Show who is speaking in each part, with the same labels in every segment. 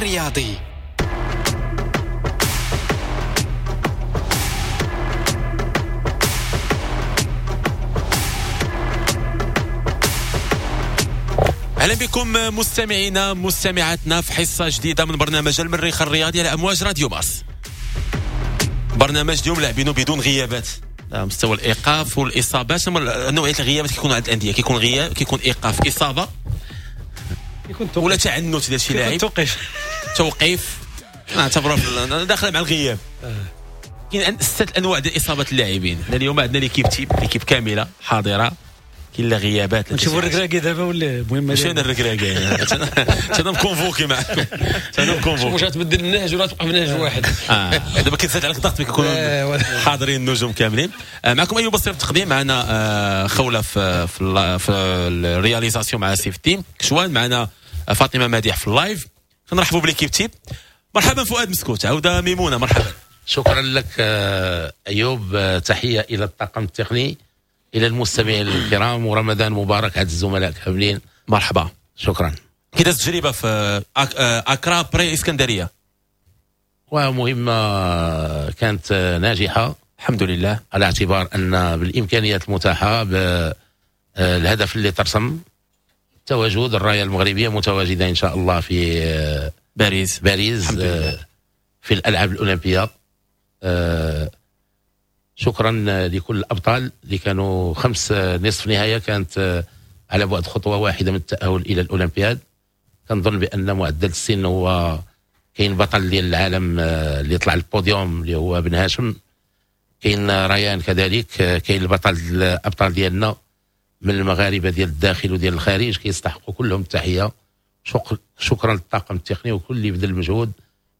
Speaker 1: الرياضي.
Speaker 2: اهلا بكم مستمعينا مستمعاتنا في حصة جديدة من برنامج المريخ الرياضي على امواج راديو مارس. برنامج اليوم لاعبينه بدون غيابات، مستوى الايقاف والاصابات، نوعية الغيابات كيكونوا عند الاندية، كيكون غياب، كيكون ايقاف، اصابه، ولا تعنت ديال شي لاعب، توقيف، نعتبروه داخله مع الغياب. كاين ستة انواع ديال اصابات اللاعبين. حنا اليوم عندنا l'équipe type، l'équipe كاملة حاضره، كاين لا غيابات.
Speaker 3: نشوفوا الركراكي دابا ولا المهم
Speaker 2: ماشي انا الركراكي، انا م convoqué معكم، انا م convoqué.
Speaker 4: واش تبدل النهج ولا تبقى في نهج واحد؟
Speaker 2: دابا كيتزاد عليك الضغط ملي كيكونوا حاضرين النجوم كاملين. معكم ايوب بصير في التقديم، معنا خوله في في ال réalisation مع سيف الدين كشوان، معنا فاطمة مديح في ال live. نرحبوا ب l'équipe type. مرحبا فؤاد مسكوت، عوده ميمونة، مرحبا.
Speaker 5: شكرا لك ايوب، تحية الى الطاقم التقني، الى المستمعين الكرام، ورمضان مبارك على الزملاء كاملين.
Speaker 2: مرحبا.
Speaker 5: شكرا.
Speaker 2: كي دازت التجربة في اكرا بري اسكندرية؟
Speaker 5: ومهمة كانت ناجحة
Speaker 2: الحمد لله،
Speaker 5: على اعتبار ان بالامكانيات المتاحة، بالهدف اللي ترسم، تواجد الراية المغربية متواجدة ان شاء الله في
Speaker 2: باريس
Speaker 5: في الالعاب الاولمبية. شكرا لكل الابطال اللي كانوا 5 نصف نهاية كانت على بعد خطوة واحدة من التاهل الى الاولمبياد. كنظن بان معدل السن هو كاين بطل ديال العالم اللي طلع البوديوم اللي هو بن هاشم، كاين ريان كذلك، كاين البطل الابطال ديالنا من المغاربة ديال الداخل وديال الخارج، كيستحقوا كلهم التحية. شكرا للطاقم التقني وكل اللي بذل المجهود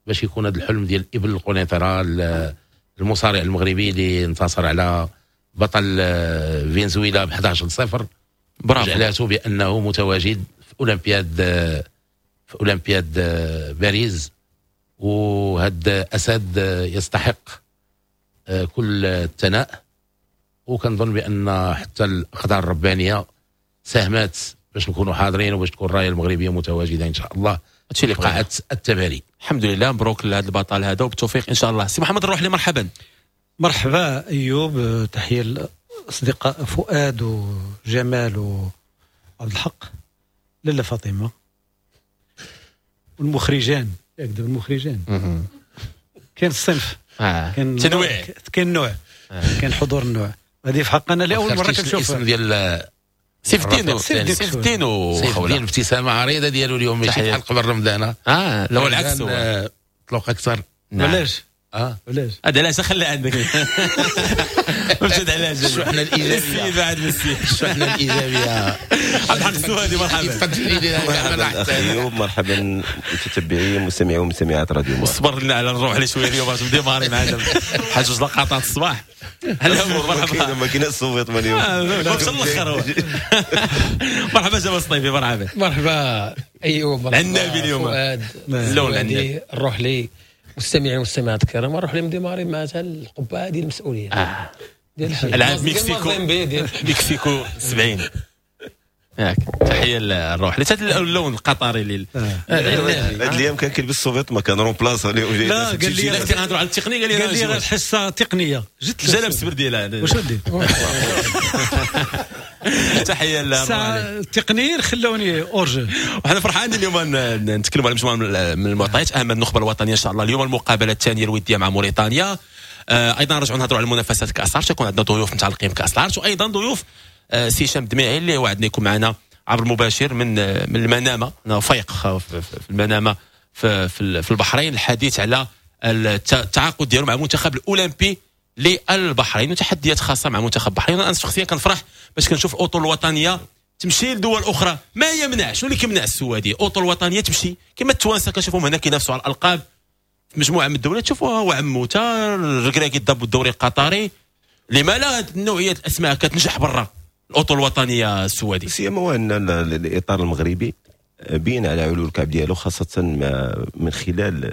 Speaker 5: باش يكون هذا الحلم ديال ابن القنيطره المصارع المغربي اللي انتصر على بطل فنزويلا ب 11-0.
Speaker 2: برافو،
Speaker 5: جعلته بانه متواجد في اولمبياد باريس، وهذا اسد يستحق كل الثناء. وكنظن بان حتى الاقدار الربانية ساهمت باش نكونوا حاضرين وباش تكون الراية المغربية متواجدة ان شاء الله
Speaker 2: هادشي اللي
Speaker 5: قاعة التباري.
Speaker 2: الحمد لله، مبروك لهذا البطل هذا وبالتوفيق ان شاء الله. سي محمد الروحلي مرحبا.
Speaker 3: مرحبا ايوب، تحية للاصدقاء فؤاد وجمال وعبد الحق، لاله فاطمة والمخرجان، ياك دابا المخرجان كاين الصنف،
Speaker 2: كاين تنويع،
Speaker 3: كاين النوع، كاين حضور النوع. هذه في حقنا لاول مرة كنشوف
Speaker 5: الاسم ديال
Speaker 2: سيف الدين، سيف الدين
Speaker 5: وخوله، ابتسامة عريضة ديالو اليوم، ماشي بحال قبل رمضان.
Speaker 2: لا العكس،
Speaker 5: هو طلق اكثر.
Speaker 3: علاش؟ علاش؟
Speaker 2: هذا علاش خلى عندك مشيت علاش؟
Speaker 5: الشحنة الايجابية
Speaker 2: بعد مسي،
Speaker 5: الشحنة الايجابية.
Speaker 2: عبد الحق السوادي مرحبا.
Speaker 6: مرحبا ايوب، مرحبا متتبعي مستمعي ومستمعات راديو مارس.
Speaker 2: صبر لنا على الروح اللي شوية اليوم باش ن démarrer معنا بحال جوج لقطات الصباح. هلا مرحبا،
Speaker 6: ما كاينش الصوت اليوم،
Speaker 2: مشى الاخر. مرحبا جمال الصيفي، مرحبا.
Speaker 4: مرحبا ايوب،
Speaker 2: العنابي اليوم،
Speaker 4: اللون العنابي، الروح لي مستمعين والمستمعات الكرام، نروح لي م démarrer مع القبعة ديال المسؤولية
Speaker 2: ديال العاب مكسيكو 70. ياك تحية للروح لتا اللون القطري اللي
Speaker 6: هاد الايام كان كيلبس السوفيت ما كان remplace.
Speaker 3: لا قال لي
Speaker 2: كنهضروا على التقنية، قال
Speaker 3: لي راه حصة تقنية،
Speaker 2: جيت جا لابس ديالها.
Speaker 3: واش ندير؟
Speaker 2: تحية للروح
Speaker 3: التقنيين خلوني hors-jeu.
Speaker 2: وحنا فرحانين اليوم نتكلموا على مجموعة من المعطيات، اهم النخبة الوطنية ان شاء الله اليوم المقابلة الثانية الودية مع موريتانيا. ايضا نرجعوا نهضروا على المنافسات كاس العرش، يكون عندنا ضيوف متعلقين بكاس العرش، وايضا ضيوف سي هشام الدميعي اللي وعدنا يكون معنا عبر المباشر من المنامة، فايق في المنامة في البحرين، الحديث على التعاقد ديالو مع المنتخب الاولمبي للبحرين وتحديات خاصة مع منتخب البحرين. انا شخصيا كنفرح باش كنشوف الاطر الوطنية تمشي لدول اخرى، ما يمنع، شنو اللي كيمنع السوادي؟ الاطر الوطنية تمشي كما التوانسة كنشوفهم هنا كينافسوا على الالقاب في مجموعة من الدولات، تشوفوها هو عموتة الركراكي ضرب الدوري القطري. لما لا نوعية الاسماء كتنجح برا الاطر الوطنية السوادي؟
Speaker 6: سيما هو ان الاطار المغربي بين على علو الكعب ديالو، خاصة من خلال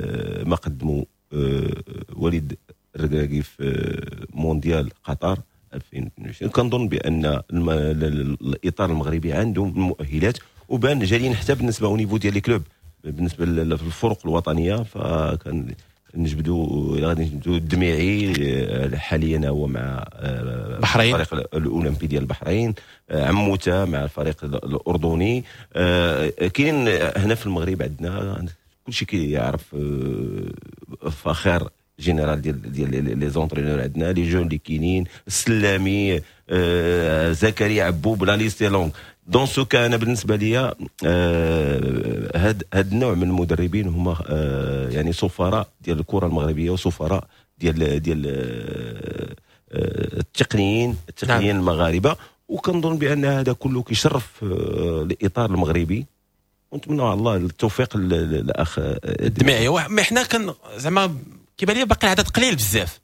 Speaker 6: ما قدموا وليد الركراكي في مونديال قطر 2022. كنظن بان الاطار المغربي عنده المؤهلات وبان جالين حتى بالنسبة au niveau ديال les clubs. بالنسبة للفرق الوطنية، فكان نجبدوا غادي نجبدوا الدميعي حاليا هو مع
Speaker 2: البحرين،
Speaker 6: الفريق الاولمبي ديال البحرين، عموتة مع الفريق الاردني. كاين هنا في المغرب عندنا كلشي كيعرف فخر général ديال les entraîneurs، عندنا les jeunes اللي كاينين، السلامي، زكريا عبوب، la liste est longue. dans ce cas انا بالنسبة لي هاد النوع من المدربين هما يعني سفراء ديال الكره المغربية وسفراء ديال التقنيين نعم. المغاربه، وكنظن بان هذا كله كيشرف الاطار المغربي، ونتمنى على الله التوفيق للاخ
Speaker 2: الدميعي. mais حنا كان زعما كيبان لي باقي العدد قليل بزاف،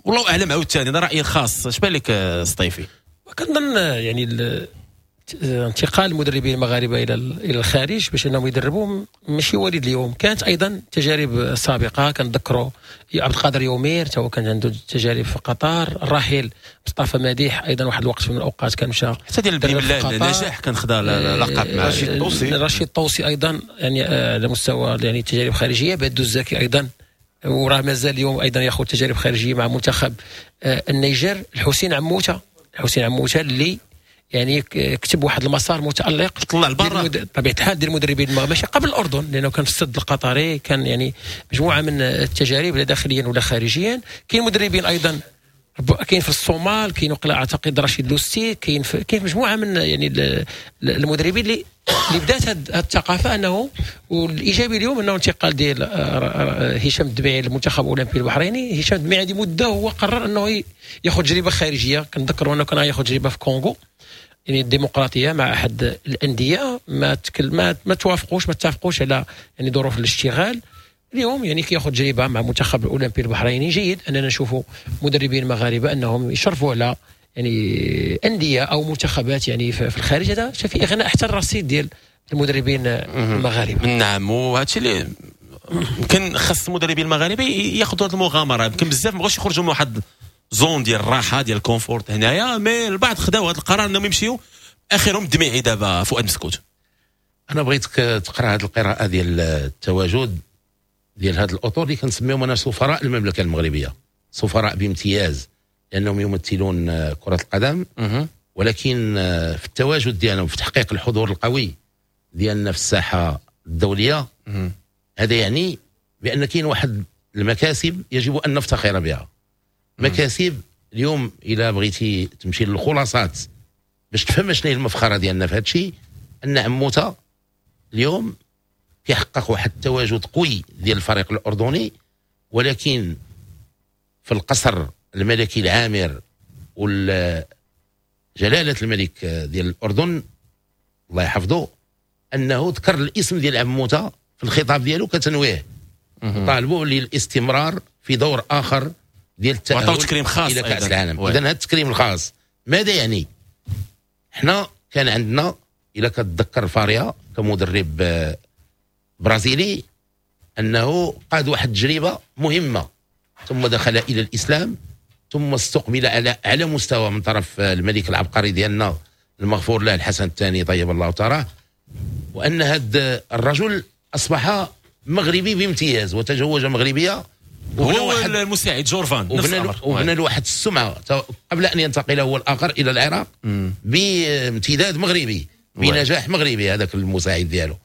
Speaker 2: والله اعلم. عاوتاني هذا رايي الخاص، اش بان لك سطيفي؟
Speaker 4: كنظن يعني انتقال المدربين المغاربة الى الخارج باش انهم يدربوا ماشي وليد اليوم، كانت ايضا تجارب سابقه. كنذكروا عبد القادر يومير تا هو كان عنده تجارب في قطر، الراحل مصطفى مديح ايضا واحد الوقت من الاوقات كان مشى
Speaker 2: حتى ديال النجاح كان خدا لقب مع
Speaker 6: رشيد الطوسي،
Speaker 4: رشيد الطوسي ايضا يعني على مستوى يعني تجارب خارجية. بادو الزكي ايضا وراه مازال اليوم ايضا ياخذ تجارب خارجية مع منتخب النيجر. الحسين عموتة، الحسين عموتة اللي يعني كتب واحد المسار متالق،
Speaker 2: طلع لبرا
Speaker 4: بطبيعة الحال ديال المدربين ماشي قبل الاردن، لانه كان في السد القطري، كان يعني مجموعة من التجارب لا داخليا ولا خارجيا. كاين مدربين ايضا كاين في الصومال، كاين وقلا اعتقد رشيد لوستي، كاين في مجموعة من يعني المدربين اللي بدات هذه الثقافة. انه والايجابي اليوم انه انتقال ديال هشام الدميعي للمنتخب الاولمبي البحريني. هشام الدميعي هذه مده هو قرر انه ياخذ تجربه خارجية، كنذكروا انه كان ياخذ تجربه في كونغو يعني الديمقراطية مع احد الاندية، ما توافقوش، ما اتفقوش على يعني ظروف الاشتغال. اليوم يعني كياخذ تجربه مع المنتخب الاولمبي البحريني. جيد اننا نشوفوا مدربين مغاربة انهم يشرفوا على يعني اندية او منتخبات يعني في الخارج. هذا في اغناء حتى الرصيد ديال المدربين المغاربة.
Speaker 2: نعم، وهذا الشيء اللي يمكن خاص المدربين المغاربة ياخذوا هذه المغامرة. يمكن بزاف ما بغاوش يخرجوا من واحد zone ديال الراحة ديال ال confort هنايا، mais البعض خداو هذا القرار انهم يمشيو. اخرهم الدميعي دابا فؤاد مسكوت.
Speaker 5: انا بغيتك تقرا هذه القراءة ديال التواجد ديال هاد الاطر اللي كنسميهم انا سفراء المملكة المغربية، سفراء بامتياز لانهم يمثلون كره القدم، ولكن في التواجد ديالهم في تحقيق الحضور القوي ديالنا في الساحة الدولية، هذا يعني بان كاين واحد المكاسب يجب ان نفتخر بها. مكاسب اليوم الى بغيتي تمشي للخلاصات باش تفهم شنو هي المفخره ديالنا في هذا الشيء، ان عموتة اليوم كيحقق واحد التواجد قوي ديال الفريق الاردني، ولكن في القصر الملكي العامر وجلاله الملك ديال الاردن الله يحفظه، انه ذكر الاسم ديال عموتة في الخطاب ديالو كتنويه، طالبوه للاستمرار في دور اخر ديال التأهل
Speaker 2: تكريم خاص
Speaker 5: الى كاس العالم. اذا هذا التكريم الخاص ماذا يعني؟ حنا كان عندنا الى كتذكر فاريا كمدرب برازيلي انه قاد واحد التجربة مهمة، ثم دخل الى الاسلام، ثم استقبل على مستوى من طرف الملك العبقري ديالنا المغفور له الحسن الثاني طيب الله تراه، وان هذا الرجل اصبح مغربي بامتياز وتزوج مغربية،
Speaker 2: هو المساعد جورفان
Speaker 5: وبنى له واحد السمعة قبل ان ينتقل هو الاخر الى العراق بامتداد مغربي بنجاح مغربي هذاك المساعد ديالو.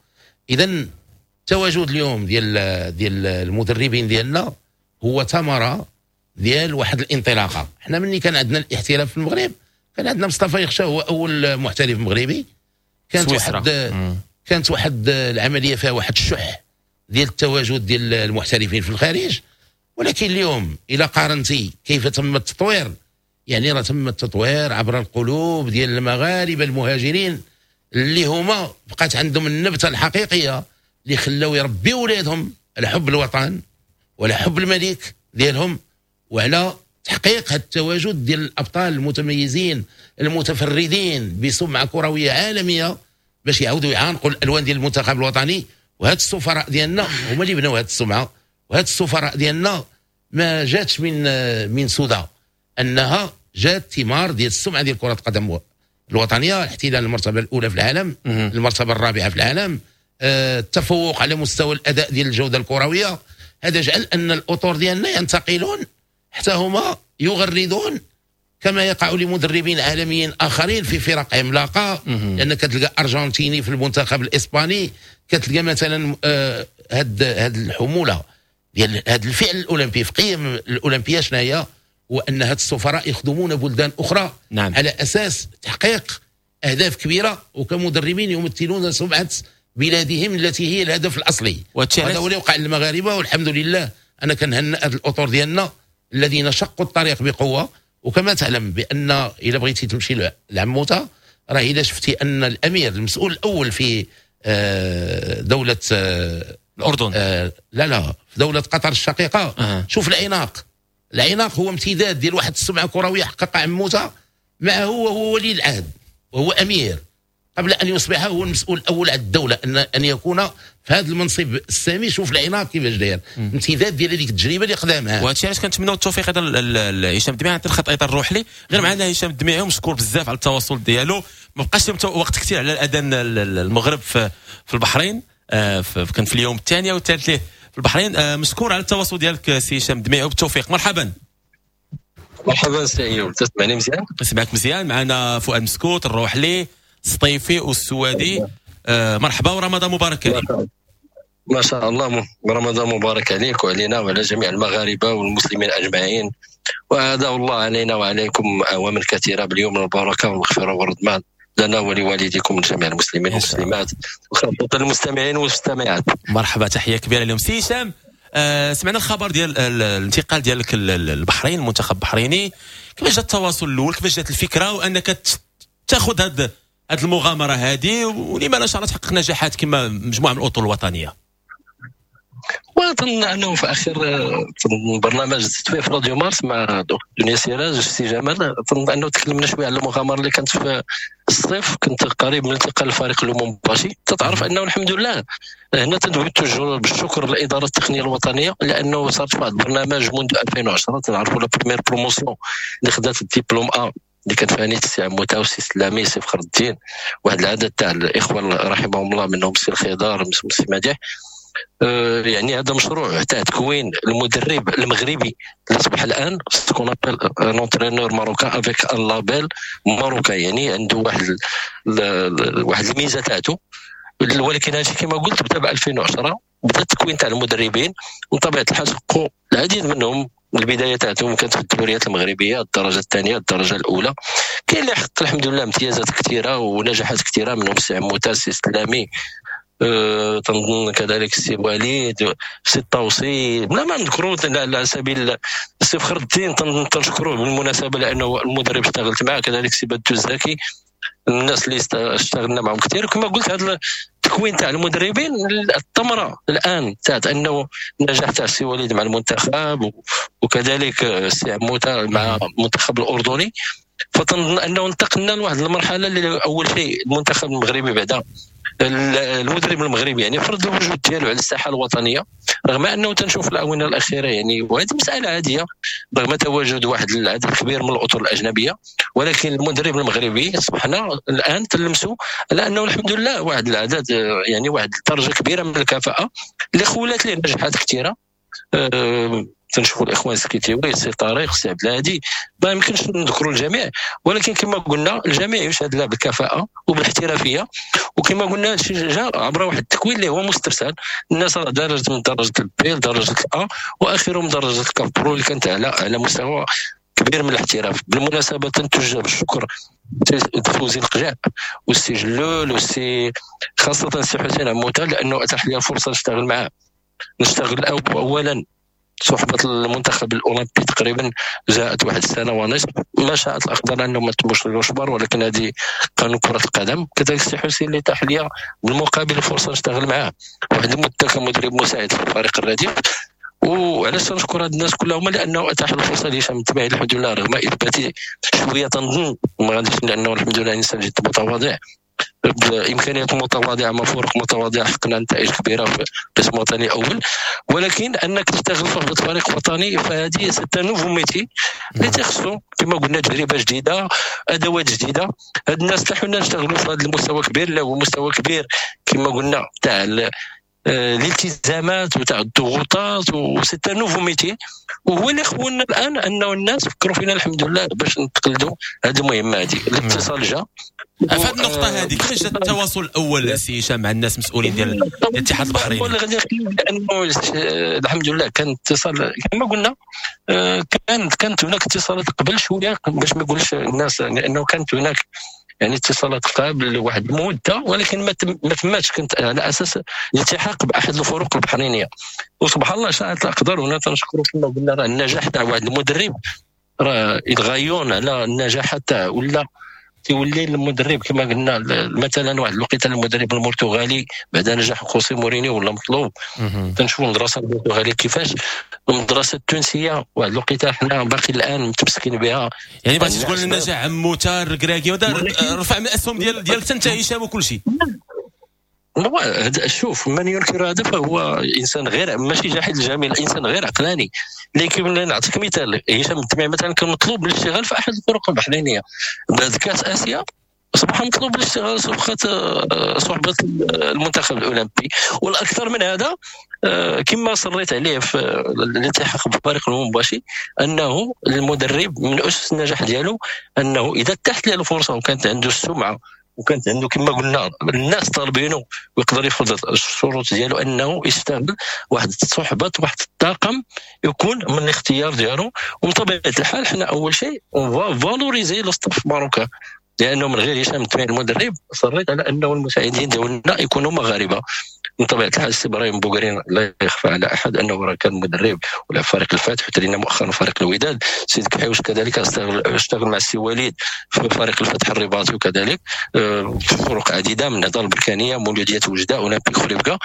Speaker 5: اذا التواجد اليوم ديال المدربين ديالنا هو ثمره ديال واحد الانطلاقة. حنا ملي كان عندنا الاحتراف في المغرب كان عندنا مصطفى يخشى هو اول محترف مغربي، كانت واحد العملية فيها واحد الشح ديال التواجد ديال المحترفين في الخارج. ولكن اليوم الى قارنتي كيف تم التطوير، يعني راه تم التطوير عبر القلوب ديال المغاربة المهاجرين اللي هما بقات عندهم النبتة الحقيقية اللي خلاو يربيو ولادهم على حب الوطن وعلى حب الملك ديالهم وعلى تحقيق هذا التواجد ديال الابطال المتميزين المتفردين بسمعه كروية عالمية باش يعاودوا يعانقوا الالوان ديال المنتخب الوطني. وهاد السفراء ديالنا هما اللي بناو هاد السمعة، وهاد السفراء ديالنا ما جاتش من سودا، انها جات ثمار ديال السمعة ديال كره القدم الوطنية، احتلال المرتبة الاولى في العالم، المرتبة الرابعة في العالم. التفوق على مستوى الاداء ديال الجودة الكروية. هذا جعل ان الاطر ديالنا ينتقلون حتى هما يغردون كما يقع لمدربين عالميين اخرين في فرق عملاقة، لان كتلقى ارجنتيني في المنتخب الاسباني، كتلقى مثلا هاد الحمولة ديال هاد الفعل الاولمبي في قيم الاولمبية شنو هي؟ هو ان هاد السفراء يخدمون بلدان اخرى. نعم. على اساس تحقيق اهداف كبيرة، وكمدربين يمثلون سمعه بلادهم التي هي الهدف الاصلي. وهذا هو اللي وقع للمغاربة، والحمد لله انا كنهنئ هاد الاطر ديالنا الذين شقوا الطريق بقوة. وكما تعلم بان اذا بغيتي تمشي لعموته، راه اذا شفتي ان الامير المسؤول الاول في دولة
Speaker 2: الاردن،
Speaker 5: لا لا، في دولة قطر الشقيقة. شوف العناق، العناق هو امتداد ديال واحد السمعة كروية حقق عموتة معه، وهو ولي العهد وهو امير قبل ان يصبح هو المسؤول الاول على الدولة، ان يكون في هذا المنصب السامي. شوف العناق كيفاش داير، امتداد ديال هذيك التجربة اللي قدامها.
Speaker 2: وهادشي علاش كنتمناو التوفيق ايضا لهشام الدميعي. عطي الخط ايضا الروحلي غير معنا هشام الدميعي، ومشكور بزاف على التواصل ديالو. ما بقاش وقت كثير على الاذان المغرب في البحرين، كان في اليوم الثاني او الثالث ليه في البحرين. مشكور على التواصل ديالك سي هشام الدميعي، وبالتوفيق. مرحبا.
Speaker 1: مرحبا سي ايوب، تسمعني مزيان؟
Speaker 2: نسمعك مزيان. معنا فؤاد مسكوت، الروحلي، السطيفي والسوادي. مرحبا ورمضان مبارك عليك.
Speaker 1: ما شاء الله، رمضان مبارك عليك وعلينا وعلى جميع المغاربة والمسلمين أجمعين، وأداء الله علينا وعليكم أعواما كثيرة باليوم البركة والمغفرة والرضوان لنا ولوالديكم وجميع المسلمين والمسلمات وخاصة المستمعين والمستمعات.
Speaker 2: مرحبا، تحية كبيرة لهم. سي هشام، سمعنا الخبر ديال الانتقال ديالك للبحرين، المنتخب البحريني. كيفاش جا التواصل الأول؟ كيفاش جات الفكرة وأنك تاخذ هاد المغامرة هذه، ولما لا إن شاء الله تحقق نجاحات كما مجموعة من الأطر الوطنية؟
Speaker 1: وأظن أنه في آخر برنامج زدت في راديو مارس مع دنيا سراج السي جمال، أظن أنه تكلمنا شوية على المغامرة اللي كانت في الصيف. كنت قريب من انتقال الفريق لومومباشي. تتعرف أنه الحمد لله هنا تنتوجه بالشكر للإدارة التقنية الوطنية، لأنه صارت واحد البرنامج منذ 2010 تنعرفوا la première promotion اللي خدات الدبلوم A اللي كانت فيها نيت السي عموتة والسي سلامي السي فخر الدين، واحد العدد تاع الاخوة رحمهم الله، منهم السي الخضار السي مديح. يعني هذا مشروع تاع تكوين المدرب المغربي اللي اصبح الان ce qu'on appelle un entraîneur marocain avec un label marocain، يعني عنده واحد الميزة تاعته. ولكن هادشي كما قلت بدا ب 2010، بدا التكوين تاع المدربين، وطبيعه الحال حققوا العديد منهم. البداية تاعتهم كانت في الدوريات المغربية، الدرجة الثانية، الدرجة الاولى. كاين اللي حقق الحمد لله امتيازات كثيرة ونجاحات كثيرة، منهم السي عموتة، السي سلامي، تنظن كذلك السي وليد، السي الطوسي، بلا ما نذكروا على سبيل السي فخر الدين تنشكروه بالمناسبة لانه المدرب اشتغلت معاه، كذلك السي بدو الزكي، الناس اللي اشتغلنا معهم كثير. كما قلت هذا التكوين تاع المدربين الثمرة الان تاعت انه النجاح تاع السي وليد مع المنتخب، وكذلك السي عموتة مع المنتخب الاردني. فتنظن انه انتقلنا لواحد المرحلة اللي اول شيء المنتخب المغربي بعدا المدرب المغربي يعني فرض الوجود ديالو على الساحة الوطنية، رغم انه تنشوف الاونة الاخيرة يعني وهذه مسالة عادية رغم تواجد واحد العدد كبير من الاطر الاجنبية، ولكن المدرب المغربي اصبحنا الان تلمسوا على انه الحمد لله واحد العدد يعني واحد الدرجة كبيرة من الكفاءة اللي خولات ليه نجاحات كثيرة. تنشوفوا الاخوان السكيتيوي، السي طارق، السي عبد الهادي، ما يمكنش نذكروا الجميع، ولكن كما قلنا الجميع يشهد له بالكفاءه وبالاحترافيه. وكما قلنا هادشي جا عبر واحد التكوين اللي هو مسترسل، الناس راه درجه من درجه ال B لدرجة ال A واخرهم درجه ال CAF Pro اللي كانت على مستوى كبير من الاحتراف. بالمناسبة تنتوجه بالشكر فوزي القجع والسي جلول والسي خاصة السي حسين عموتة، لانه اتاح لي الفرصة نشتغل معاه، نشتغل اولا صحبة المنتخب الأولمبي تقريبا جاءت واحد السنة ونصف، ما شاءت الأقدار أنه ما تموش الأشبار، ولكن هذه قانون كرة القدم. كذلك السي حسين اللي تاح لي بالمقابل الفرصة نشتغل معاه واحد المدة كمدرب مساعد في الفريق الرديف. وعلاش نشكر هاد الناس كلهم؟ لأنه أتاح الفرصة لهشام الدميعي الحمد لله، رغم إثباتي شوية تنظن ما غاديش، لأنه الحمد لله إنسان جد متواضع. بامكانيات متواضعة مع فرق متواضعة حققنا نتائج كبيرة في القسم الوطني الاول. ولكن انك تشتغل في فريق وطني فهذه c'est un nouveau métier اللي تخصو كما قلنا تجربه جديدة، ادوات جديدة. هاد الناس تاعنا نشتغلوا في هذا المستوى كبير اللي هو مستوى كبير كما قلنا تاع الالتزامات وتاع الضغوطات، و c'est un nouveau métier. وهو اللي خولنا الان انه الناس فكروا فينا الحمد لله باش نتقلدوا هذه المهمة هذه. الاتصال جا
Speaker 2: في هذه النقطة هذه، كيفاش جا التواصل الاول سي هشام مع الناس المسؤولين ديال الاتحاد البحريني؟
Speaker 1: اللي غادي لانه الحمد لله كان اتصال كما قلنا، كانت هناك اتصالات قبل شوية باش ما يقولش الناس، لانه كانت هناك يعني اتصالات قبل واحد المدة، ولكن ما تماتش. كنت على اساس الالتحاق باحد الفرق البحرينيه، وسبحان الله شاءت الاقدار. هنا تنشكروا كما قلنا راه النجاح تاع واحد المدرب راه يتغيون على النجاح تاع ولا تيولي المدرب كما قلنا مثلا واحد الوقيته المدرب البرتغالي بعد نجاح خوسي مورينيو ولا مطلوب. تنشوفوا المدرسة البرتغالية كيفاش، المدرسة التونسية واحد الوقيته حنا باقي الان متمسكين بها.
Speaker 2: يعني بغيتي تقول النجاح عموتة الركراكي وهذا رفع من الاسهم ديال حتى انت هشام وكل شيء.
Speaker 1: شوف، من ينكر هذا فهو انسان غير ماشي جاحد الجميل، انسان غير عقلاني. لكن نعطيك مثال، هشام الدميعي مثلا كان مطلوب للاشتغال في احد الفرق البحرينيه بعد كاس اسيا، اصبح مطلوب للاشتغال صحبه المنتخب الاولمبي. والاكثر من هذا كما صريت عليه في الالتحاق بفريق المباشي، انه المدرب من اسس النجاح ديالو انه اذا تحت له الفرصة وكانت عنده السمعة وكانت عنده كما قلنا الناس طالبينه ويقدر يفرض الشروط ديالو، انه يستعمل واحد الصحبة واحد الطاقم يكون من الاختيار ديالو. ومن طبيعة الحال حنا اول شيء on va valoriser le staff marocain، لانه من غير هشام الدميعي المدرب صريت على انه المساعدين ديالنا يكونوا مغاربة. من طبيعة الحال السي ابراهيم بوغرين لا يخفى على احد انه راه كان مدرب ولا فريق الفتح وترينا مؤخرا فريق الوداد. سيد كحيوش كذلك اشتغل مع السي وليد في فريق الفتح الرباطي، وكذلك في فرق عديدة من النهضة البركانيه، مولوديه وجده، اولمبيك خريبكا.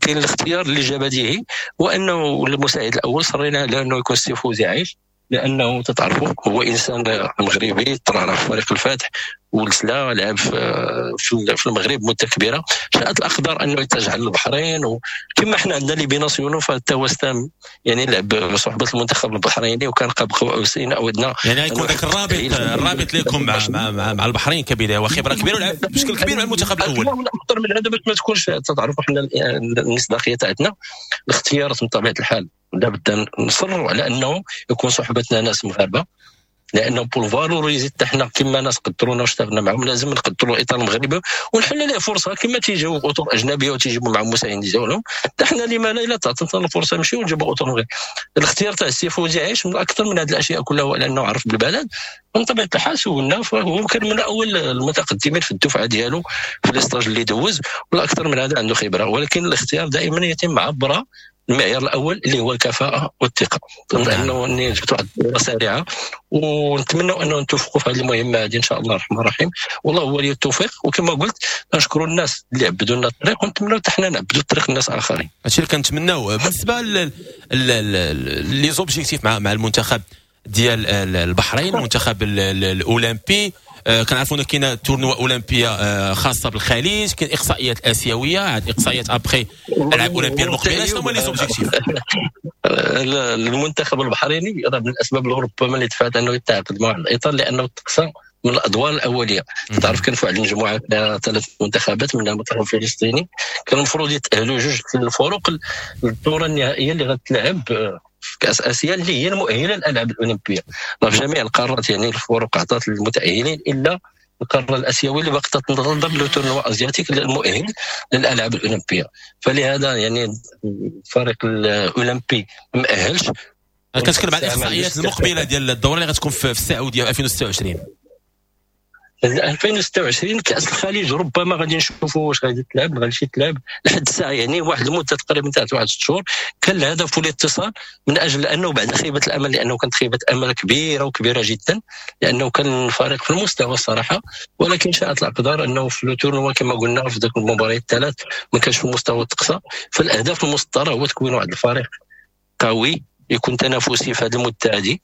Speaker 1: كاين الاختيار اللي جا بديهي وانه المساعد الاول صرينا على انه يكون السي فوزي عايش، لانه تتعرفوا هو انسان مغربي طلع في فريق الفتح والسلا، لعب في المغرب مده كبيرة. شاءت الاقدار انه يتجه للبحرين، وكما حنا عندنا les binationaux فحتى هو يعني لعب بصحبه المنتخب البحريني وكان قاب قوسين او ادنى.
Speaker 2: يعني يكون ذاك الرابط لكم مع البحرين كبداية وخبره كبيرة ولعب بشكل كبير مع المنتخب الاول.
Speaker 1: اكثر من هذا باش ما تكونش تعرفوا حنا المصداقية تاعتنا الاختيارات من طبيعة الحال لابد نصروا على انه يكون صحبتنا ناس مغاربة، لانه pour valoriser حتى حنا كما ناس قدرونا واشتغلنا معهم لازم نقدروا الاطار المغربي ونحل ليه فرصة كما تيجيو اطر اجنبية وتيجيبوا معهم مساعدين ديالهم. حتى حنا لما لا الا تعطينا الفرصة نمشيو ونجيبوا اطر مغربي. الاختيار تاع السي فوزي عايش من اكثر من هذه الاشياء كلها هو لانه عرف بالبلد. ومن طبيعة الحال سولنا فهو كان من اول المتقدمين في الدفعة ديالو في les stages اللي دوز، والاكثر من هذا عنده خبره. ولكن الاختيار دائما يتم عبر المعيار الاول اللي هو الكفاءة والثقة. لانه اني جبت واحد الصورة سريعة ونتمنى انه نتوفقوا في هذه المهمة هذه ان شاء الله الرحمن الرحيم، والله هو ولي التوفيق. وكما قلت نشكروا الناس اللي عبدوا لنا الطريق، ونتمنوا حتى حنا نعبدوا الطريق للناس اخرين.
Speaker 2: هادشي اللي كنتمناو. بالنسبة les objectifs مع المنتخب ديال البحرين، المنتخب الاولمبي، كنعرفوا ان كاينه tournoi اولمبيه خاصة بالخليج، كاين اقصائيات اسيوية، عاد اقصائيات après العاب اولمبيه المقبلة. شنو هما les objectifs؟
Speaker 1: المنتخب البحريني راه من الاسباب ربما اللي دفعت انه يتعاقد مع الاطار لانه تقصى من الادوار الاولية. تعرف كان في واحد المجموعة فيها 3 منتخبات من المنتخب الفلسطيني، كان المفروض يتاهلوا 2 الفرق للدورة النهائية اللي غتلعب في كاس اسيا اللي هي المؤهله للالعاب الاولمبية. في جميع القارات يعني الفرق عطات للمتاهلين الا القارة الاسيوية اللي باقي تنتظر le tournoi asiatique المؤهل للالعاب الاولمبية. فلهذا يعني الفريق الاولمبي ما مأهلش.
Speaker 2: كنتكلم على الاحصائيات المقبلة ديال الدورة اللي غتكون في السعودية 2026.
Speaker 1: 2026 كأس الخليج ربما غادي نشوفوا واش غادي تلعب ما غاديش تلعب لحد الساعة، يعني واحد المدة تقريبا تاع واحد 6 شهور. كان الهدف والاتصال من اجل انه بعد خيبه الامل، لانه كانت خيبه امل كبيرة وكبيره جدا، لانه كان الفريق في المستوى الصراحة، ولكن شاءت الاقدار انه في le tournoi كما قلنا في ذاك المباريات الثلاث ما كانش في المستوى التقصى. فالاهداف المسطره هو تكوين واحد الفريق قوي يكون تنافسي في هذه المدة هذه.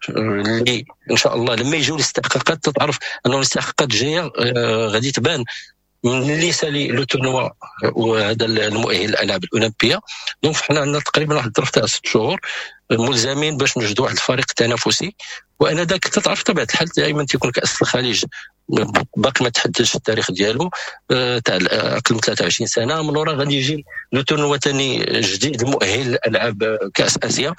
Speaker 1: اللي ان شاء الله لما يجيو الاستحقاقات تتعرف انه الاستحقاقات الجاية غادي تبان من اللي سالي le tournoi وهذا المؤهل للالعاب الاولمبية. donc حنا عندنا تقريبا واحد الظرف تاع 6 شهور ملزمين باش نوجدوا واحد الفريق تنافسي. وانا ذاك تتعرف طبيعة الحال دائما تيكون كاس الخليج باقي ما تحددش التاريخ ديالو تاع اقل من 23 سنة، من ورا غادي يجي le tournoi ثاني جديد المؤهل لالعاب كاس اسيا.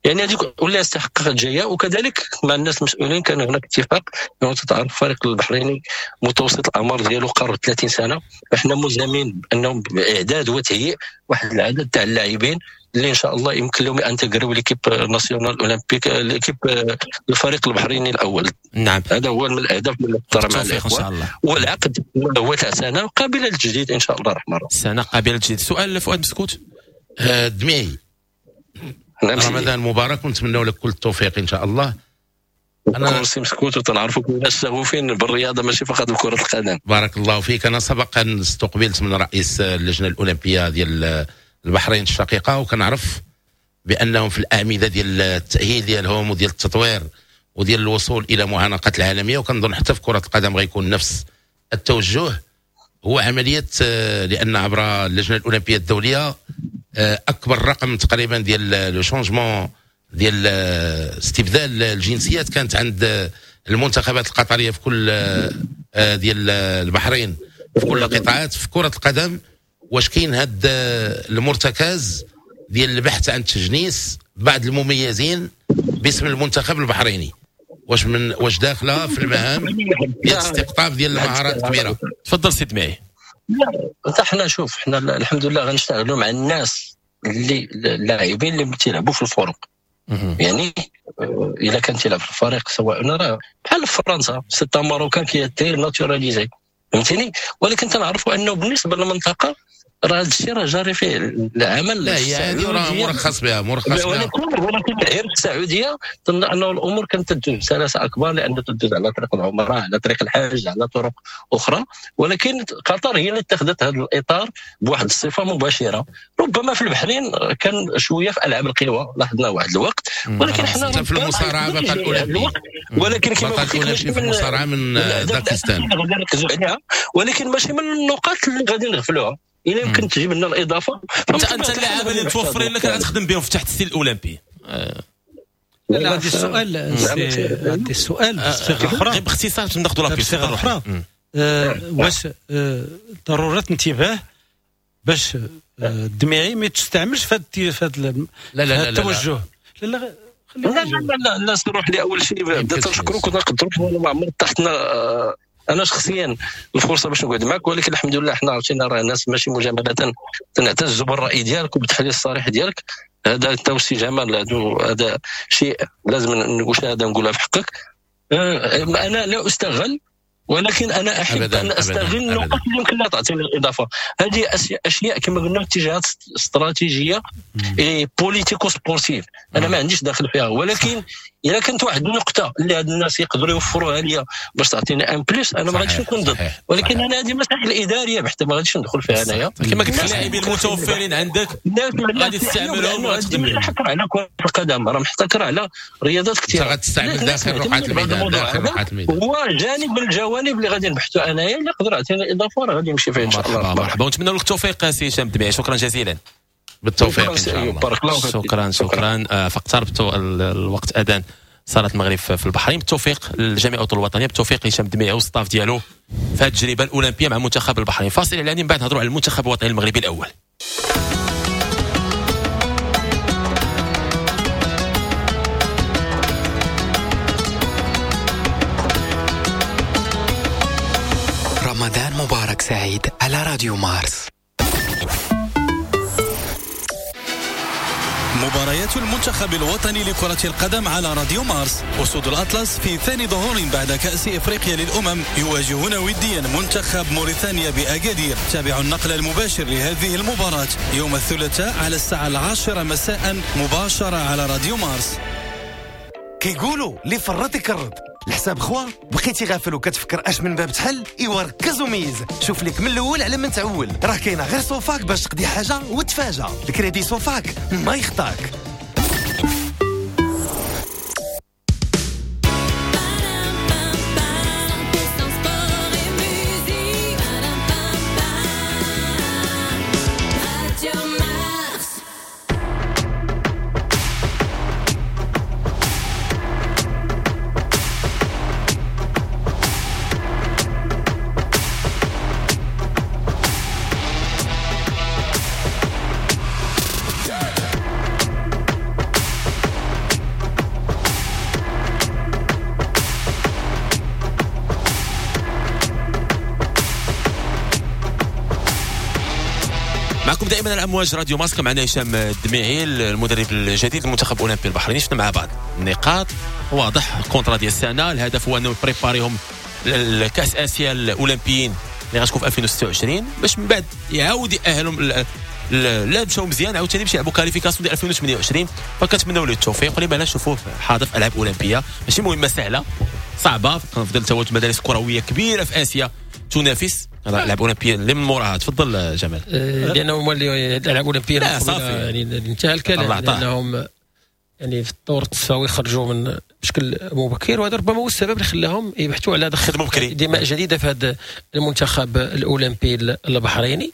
Speaker 1: يعني هذيك ولا استحقاقات جاية. وكذلك مع الناس المسؤولين كان هناك اتفاق انه تتعرف الفريق البحريني متوسط الاعمار ديالو قرب 30 سنة، فاحنا ملزمين بانهم باعداد وتهيئ واحد العدد تاع اللاعبين اللي ان شاء الله يمكن لهم intégrer l'équipe nationale olympique، l'équipe الفريق البحريني الاول.
Speaker 2: نعم،
Speaker 1: هذا هو من الاهداف اللي مع
Speaker 2: ان شاء الله.
Speaker 1: والعقد هو تاع سنة قابله للتجديد ان شاء الله الرحمن الرحيم.
Speaker 2: سنة قابله للتجديد. سؤال فؤاد مسكوت.
Speaker 5: دميعي، رمضان مبارك ونتمنى لك كل التوفيق ان شاء الله.
Speaker 1: انا سي مسكوت وتنعرفوا الناس شغوفين بالرياضة ماشي فقط بكره القدم.
Speaker 5: بارك الله فيك. انا سبقا استقبلت من رئيس اللجنة الاولمبية ديال البحرين الشقيقة، وكنعرف بانهم في الاعمدة ديال التاهيل ديالهم وديال التطوير وديال الوصول الى معانقات العالمية، وكنظن حتى في كره القدم غيكون نفس التوجه. هو عملية لان عبر اللجنة الاولمبية الدولية اكبر رقم تقريبا ديال le changement ديال استبدال الجنسيات كانت عند المنتخبات القطرية في كل ديال البحرين في كل القطاعات في كره القدم. واش كاين هاد المرتكز ديال البحث عن تجنيس بعض المميزين باسم المنتخب البحريني؟ واش من واش داخله في المهام ديال الاستقطاب ديال المهارات الكبيرة؟
Speaker 2: تفضل سيد معي.
Speaker 1: لا حنا شوف، حنا الحمد لله غنشتغلوا مع الناس اللي اللاعبين اللي تيلعبوا في الفرق. يعني الا كان تيلعب في الفريق سواء راه بحال فرنسا c'est un Marocain qui était naturalisé، فهمتيني. ولكن تنعرفوا انه بالنسبة للمنطقة راه هذا الشيء راه جاري فيه العمل.
Speaker 5: لا هي هذه راه مرخص بها، مرخص بها.
Speaker 1: ولكن غير السعودية ظن انه الامور كانت تدوز بسلاسة اكبر، لان تدوز على طريق العمرة، على طريق الحج، على طرق اخرى. ولكن قطر هي اللي اتخذت هذا الاطار بواحد الصفة مباشرة. ربما في البحرين كان شوية في العاب القوى لاحظنا واحد الوقت، ولكن حنا
Speaker 5: في المصارعة بطل الاولمبي،
Speaker 1: ولكن كما
Speaker 5: قلت لك في المصارعة من داكستان
Speaker 1: غادي نركزوا عليها، ولكن ماشي من النقاط اللي غادي نغفلوها. إلا يمكن تجيب لنا الاضافة.
Speaker 2: انت اللاعب اللي متوفرين لك غتخدم بهم في تحت السن الاولمبي.
Speaker 3: لا عندي السؤال، عندي السؤال بصيغة اخرى
Speaker 2: غير باختصار باش ناخذوا لا
Speaker 3: بصيغة اخرى. واش ضرورة انتباه باش الدميعي ما تستعملش في هذا التوجه؟ لا لا
Speaker 1: لا لا لا نروح لي اول شيء بدات نشكرك ونقدرك ما عمر تحتنا انا شخصيا الفرصة باش نقعد معك، ولكن الحمد لله حنا عرفتينا راه ناس ماشي مجاملة، تنعتز بالراي ديالك وبالتحليل الصريح ديالك. هذا التوسي جمال، هذا شيء لازم نقول، هذا نقولها في حقك. انا لا استغل، ولكن انا احب ان استغل النقاط اللي يمكن لها تعطيني الاضافة. هذه اشياء كما قلنا اتجاهات استراتيجية politico-sportive، انا ما عنديش داخل فيها، ولكن اذا كانت واحد النقطة اللي هاد الناس يقدروا يوفروها ليا باش تعطيني un plus، انا ما غاديش نكون ضد. ولكن انا هذه مسائل ادارية بحتى ما غاديش ندخل فيها انايا.
Speaker 2: كما قلت اللاعبين المتوفرين عندك غادي تستعملهم وغتخدم بهم.
Speaker 1: محتكر على كره القدم، راه محتكر على رياضات كثيرة.
Speaker 5: غتستعمل داخل رقعه الميدان، داخل رقعه الميدان
Speaker 1: هو جانب من الجوانب اللي غادي نبحثوا انايا، اللي يقدر يعطينا اضافه راه غادي نمشي فيه ان شاء الله.
Speaker 2: مرحبا، ونتمنى لك التوفيق سي هشام الدميعي، شكرا جزيلا.
Speaker 5: بالتوفيق ان شاء الله.
Speaker 2: شكرا شكرا. فاقتربت الوقت اذان صلاة المغرب في البحرين. بالتوفيق للجميع الاطر الوطنية، بالتوفيق لهشام الدميعي وال staff ديالو في هذه التجربة الاولمبية مع منتخب البحرين. فاصل اعلاني، من بعد نهضروا على المنتخب الوطني المغربي الاول.
Speaker 7: رمضان مبارك سعيد على راديو مارس.
Speaker 8: مباريات المنتخب الوطني لكرة القدم على راديو مارس. أسود الأطلس في ثاني ظهور بعد كأس إفريقيا للأمم يواجهون وديا منتخب موريتانيا بأكادير. تابعوا النقل المباشر لهذه المباراة يوم الثلاثاء على الساعة 10 مساء مباشرة على راديو مارس.
Speaker 9: كيقولوا اللي فرط يكرد الحساب خوا، بقيتي غافل وكتفكر اش من باب تحل، ايوا ركز وميز، شوف لك من الاول على من تعول، راه كاينه غير صوفاك باش تقضي حاجة وتفاجأ. الكريدي صوفاك ما يخطاك.
Speaker 2: معكم دائما على امواج راديو مارس، معنا هشام الدميعي المدرب الجديد للمنتخب الاولمبي البحريني. شفنا مع بعض النقاط، واضح ال contrat ديال السنة، الهدف هو انه يبريباريهم لكاس اسيا الاولمبيين اللي غتكون في 2026 باش من بعد يعاود يأهلهم لا مشاو مزيان عاوتاني باش يلعبوا qualification ديال 2028. فكنتمناو له التوفيق ولما لا نشوفوه حاضر في العاب اولمبيه، ماشي مهمة سهلة صعبة، كنفضل تواجد مدارس كروية كبيرة في اسيا تنافس الالعاب الاولمبية اللي من موراها. تفضل جمال.
Speaker 4: لانهم الالعاب الاولمبية
Speaker 2: لا صافي
Speaker 4: يعني انتهى الكلام، لانهم يعني في الطور التصاوي خرجوا من بشكل مبكر، وهذا ربما هو السبب اللي خلاهم يبحثوا على دخل دماء جديدة في هذا المنتخب الاولمبي البحريني.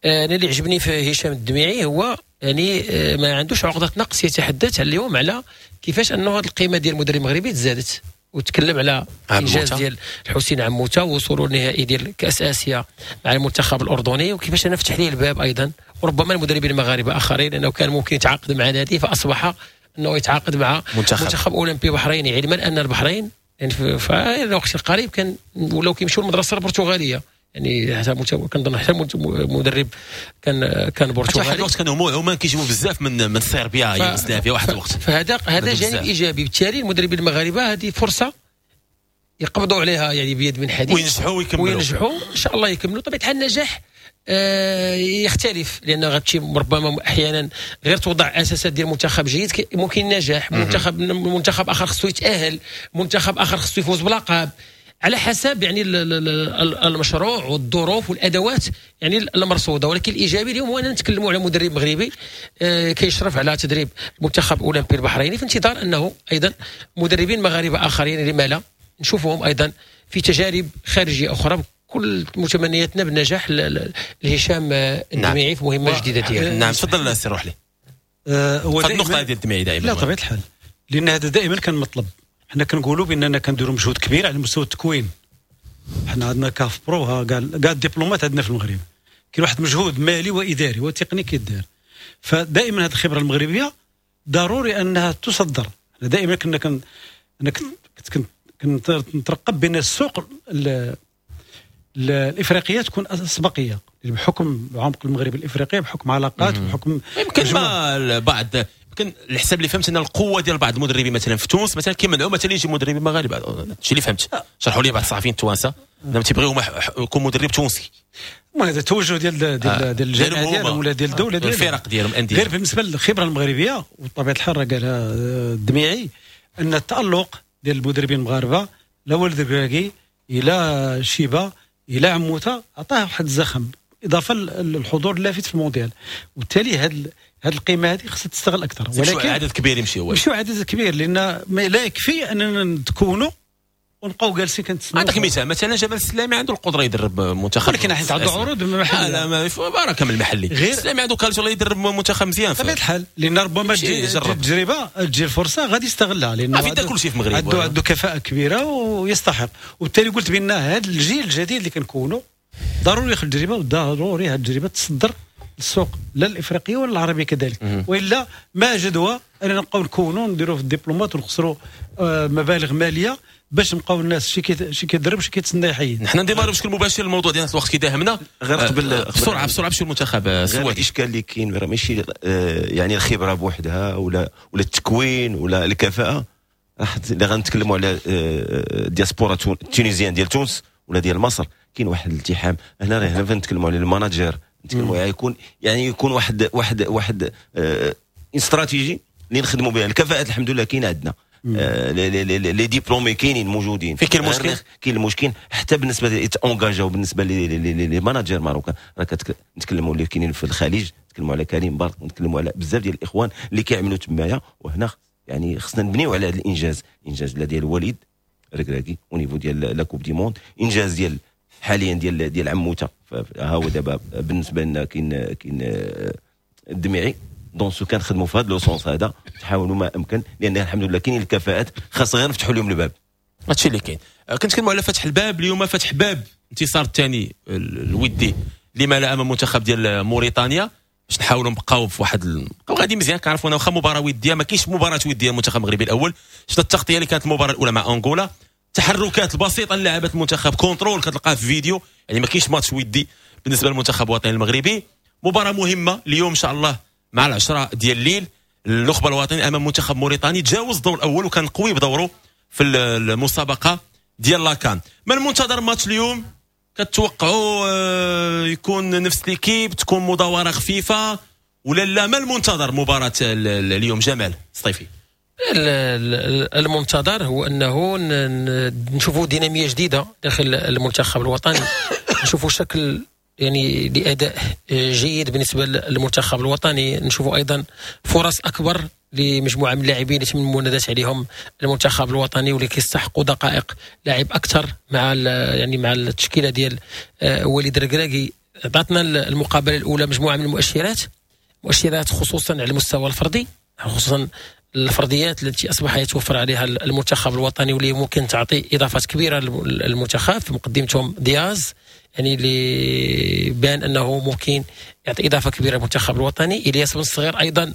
Speaker 4: انا اللي عجبني في هشام الدميعي هو يعني ما عندوش عقده نقص، يتحدث اليوم على كيفاش انه هذه القيمة ديال المدرب المغربي تزادت، وتكلم على انجاز ديال الحسين عموتة ووصوله النهائي ديال كاس اسيا مع المنتخب الاردني، وكيفاش انا فتح ليه الباب ايضا، وربما المدربين المغاربة اخرين لانه كان ممكن يتعاقد مع نادي فاصبح انه يتعاقد مع منتخب اولمبي بحريني، علما ان البحرين يعني في الوقت القريب كان ولاو كيمشيو للمدرسة البرتغالية، يعني حتى كنظن حتى مدرب كان برتغالي.
Speaker 2: واحد الوقت كانوا عمان كيجيبوا بزاف من صربيا يوغوسلافيا واحد الوقت،
Speaker 4: فهذا جانب ايجابي. بالتالي المدربين المغاربة هذه فرصة يقبضوا عليها يعني بيد من حديد
Speaker 2: وينجحوا ويكملوا،
Speaker 4: وينجحوا ان شاء الله يكملوا. طبيعة الحال النجاح يختلف، لان غتمشي ربما احيانا غير توضع اساسات ديال منتخب جيد ممكن النجاح، منتخب اخر خصو يتاهل، منتخب اخر خصو يفوز بلقب، على حسب يعني المشروع والظروف والادوات يعني المرصوده. ولكن الايجابي اليوم هو اننا نتكلموا على مدرب مغربي كيشرف على تدريب المنتخب الاولمبي البحريني، في انتظار انه ايضا مدربين مغاربة اخرين لما لا نشوفهم ايضا في تجارب خارجية اخرى. كل متمنياتنا بالنجاح لهشام الدميعي في مهمة جديدة ديالو.
Speaker 2: نعم تفضل سي روحلي. هو النقطة ديال الدميعي دائما.
Speaker 3: لا طبيعة الحال، لان هذا دائما كان مطلب. حنا كنقولوا باننا كنديروا مجهود كبير على مستوى التكوين، حنا عندنا CAF Pro، كاع الدبلومات عندنا في المغرب، كاين واحد مجهود مالي واداري وتقني كيدار، فدائما هذه الخبرة المغربية ضروري انها تصدر. حنا دائما كنا انا كنت نترقب بان السوق الافريقية تكون اسبقيه بحكم عمق المغرب الافريقي، بحكم علاقات، بحكم
Speaker 2: يمكن ما بعض يمكن الحساب اللي فهمت ان القوة ديال بعض المدربين مثلا في تونس مثلا كيمنعوا مثلا يجي مدربين مغاربة، هادشي اللي فهمت. شرحوا لي بعض الصحفيين التوانسة انهم تيبغيو يكون مدرب تونسي.
Speaker 3: المهم هذا التوجه ديال ديال الجامعة ديالهم ولا ديال الدولة ديالهم،
Speaker 2: الفرق ديالهم الاندية.
Speaker 3: غير بالنسبة للخبره المغربية وبطبيعة الحال راه قالها الدميعي ان التالق ديال المدربين المغاربة لا ولد الكراكي الى شيبة الى عموتة عطاه واحد الزخم، اضافه للحضور اللافت في المونديال، وبالتالي هذه القيمة هذه خصها تستغل اكثر.
Speaker 2: ولكن عدد كبير يمشي، هو
Speaker 3: ماشي عدد كبير، لان لا يكفي اننا نتكونوا ونبقاو جالسين كنتسناو.
Speaker 2: عندك مثال مثلا جمال السلامي عنده القدرة يدرب منتخب،
Speaker 3: ولكن حيت عنده عروض من المحلي.
Speaker 2: لا ما بركة من المحلي، السلامي عنده qualité يدرب منتخب مزيان
Speaker 3: بطبيعة الحال، لان ربما التجربة تجي الفرصة غادي يستغلها، لان
Speaker 2: في كل شيء في المغرب
Speaker 3: عنده كفاءة كبيرة ويستحق. وبالتالي قلت بان هذا الجيل الجديد اللي كنكونوا ضروري ياخذ التجربة، وضروري هذه التجربة تصدر للسوق لا الافريقية ولا العربية كذلك، والا ما جدوى اننا نبقاو نكونوا نديروا في الدبلومات ونخسروا مبالغ ماليه باش نبقاو الناس شي كيضرب شي كيتسنى يحيد.
Speaker 2: نحن نديمارو بشكل مباشر الموضوع ديالنا الوقت كيداهمنا.
Speaker 6: غير قبل
Speaker 2: بسرعة بسرعة باش المنتخب السوادي
Speaker 6: الاشكال اللي كاين راه ماشي يعني الخبرة بوحدها ولا التكوين ولا الكفاءة. اللي غنتكلموا على diaspora ال tunisienne ديال تونس ولا ديال مصر، كاين واحد الالتحام هنا. هنا فنتكلموا على ال manager، نتكلموا يعني يكون واحد واحد واحد استراتيجي اللي نخدموا بها. الكفاءات الحمد لله كاين عندنا، les diplômés كاينين موجودين.
Speaker 2: فين كاين المشكل؟
Speaker 6: كاين المشكل حتى بالنسبة ليتونجاجاو بالنسبة les managers marocains. راه كنتكلموا اللي كاينين في الخليج، نتكلموا على كريم بارك، نتكلموا على بزاف ديال الاخوان اللي كيعملوا تمايا. وهنا يعني خصنا نبنيو على هذا الانجاز، انجاز لا ديال وليد ركراكي au niveau ديال la Coupe du Monde، انجاز ديال حاليا ديال عموتة. ها هو دابا بالنسبة لنا كاين الدميعي. dans ce cas نخدموا في هذا le sens هذا، تحاولوا ما امكن، لان الحمد لله كاينين الكفاءات، خاص غير نفتحوا لهم الباب.
Speaker 2: هادشي اللي كاين. كنتكلموا على فتح الباب اليوم، فتح باب انتصار الثاني الودي لما لا امام منتخب ديال موريتانيا، باش نحاولوا نبقاو في واحد نبقاو غادي مزيان. كنعرفوا واخا مباراة وديه ما كاينش مباراة وديه المنتخب المغربي الاول. شفنا التغطية اللي كانت المباراة الاولى مع انغولا، التحركات البسيطة اللي لعبت المنتخب، contrôle كتلقاه في فيديو، يعني ما كاينش ماتش ودي بالنسبة للمنتخب الوطني المغربي. مباراة مهمة اليوم ان شاء الله مع 10 ديال الليل، النخبة الوطنية امام منتخب موريتاني، تجاوز الدور الاول وكان قوي بدوره في المسابقة ديال la CAN. ما المنتظر ماتش اليوم؟ كتوقعوا يكون نفس l'équipe، تكون مداوره خفيفة ولا لا؟ ما المنتظر مباراة اليوم جمال صيفي؟
Speaker 4: المنتظر هو انه نشوفوا ديناميه جديدة داخل المنتخب الوطني، نشوفوا شكل يعني لاداء جيد بالنسبة للمنتخب الوطني، نشوفوا ايضا فرص اكبر لمجموعة من اللاعبين اللي تم المنادات عليهم المنتخب الوطني واللي كيستحقوا دقائق لعب اكثر مع يعني مع التشكيلة ديال وليد الركراكي. عطاتنا المقابلة الاولى مجموعة من المؤشرات، مؤشرات خصوصا على المستوى الفردي، خصوصا الفرديات التي اصبح يتوفر عليها المنتخب الوطني واللي ممكن تعطي اضافات كبيرة للمنتخب، في مقدمتهم دياز يعني اللي بان انه ممكن يعطي اضافه كبيرة للمنتخب الوطني. الياس بن الصغير ايضا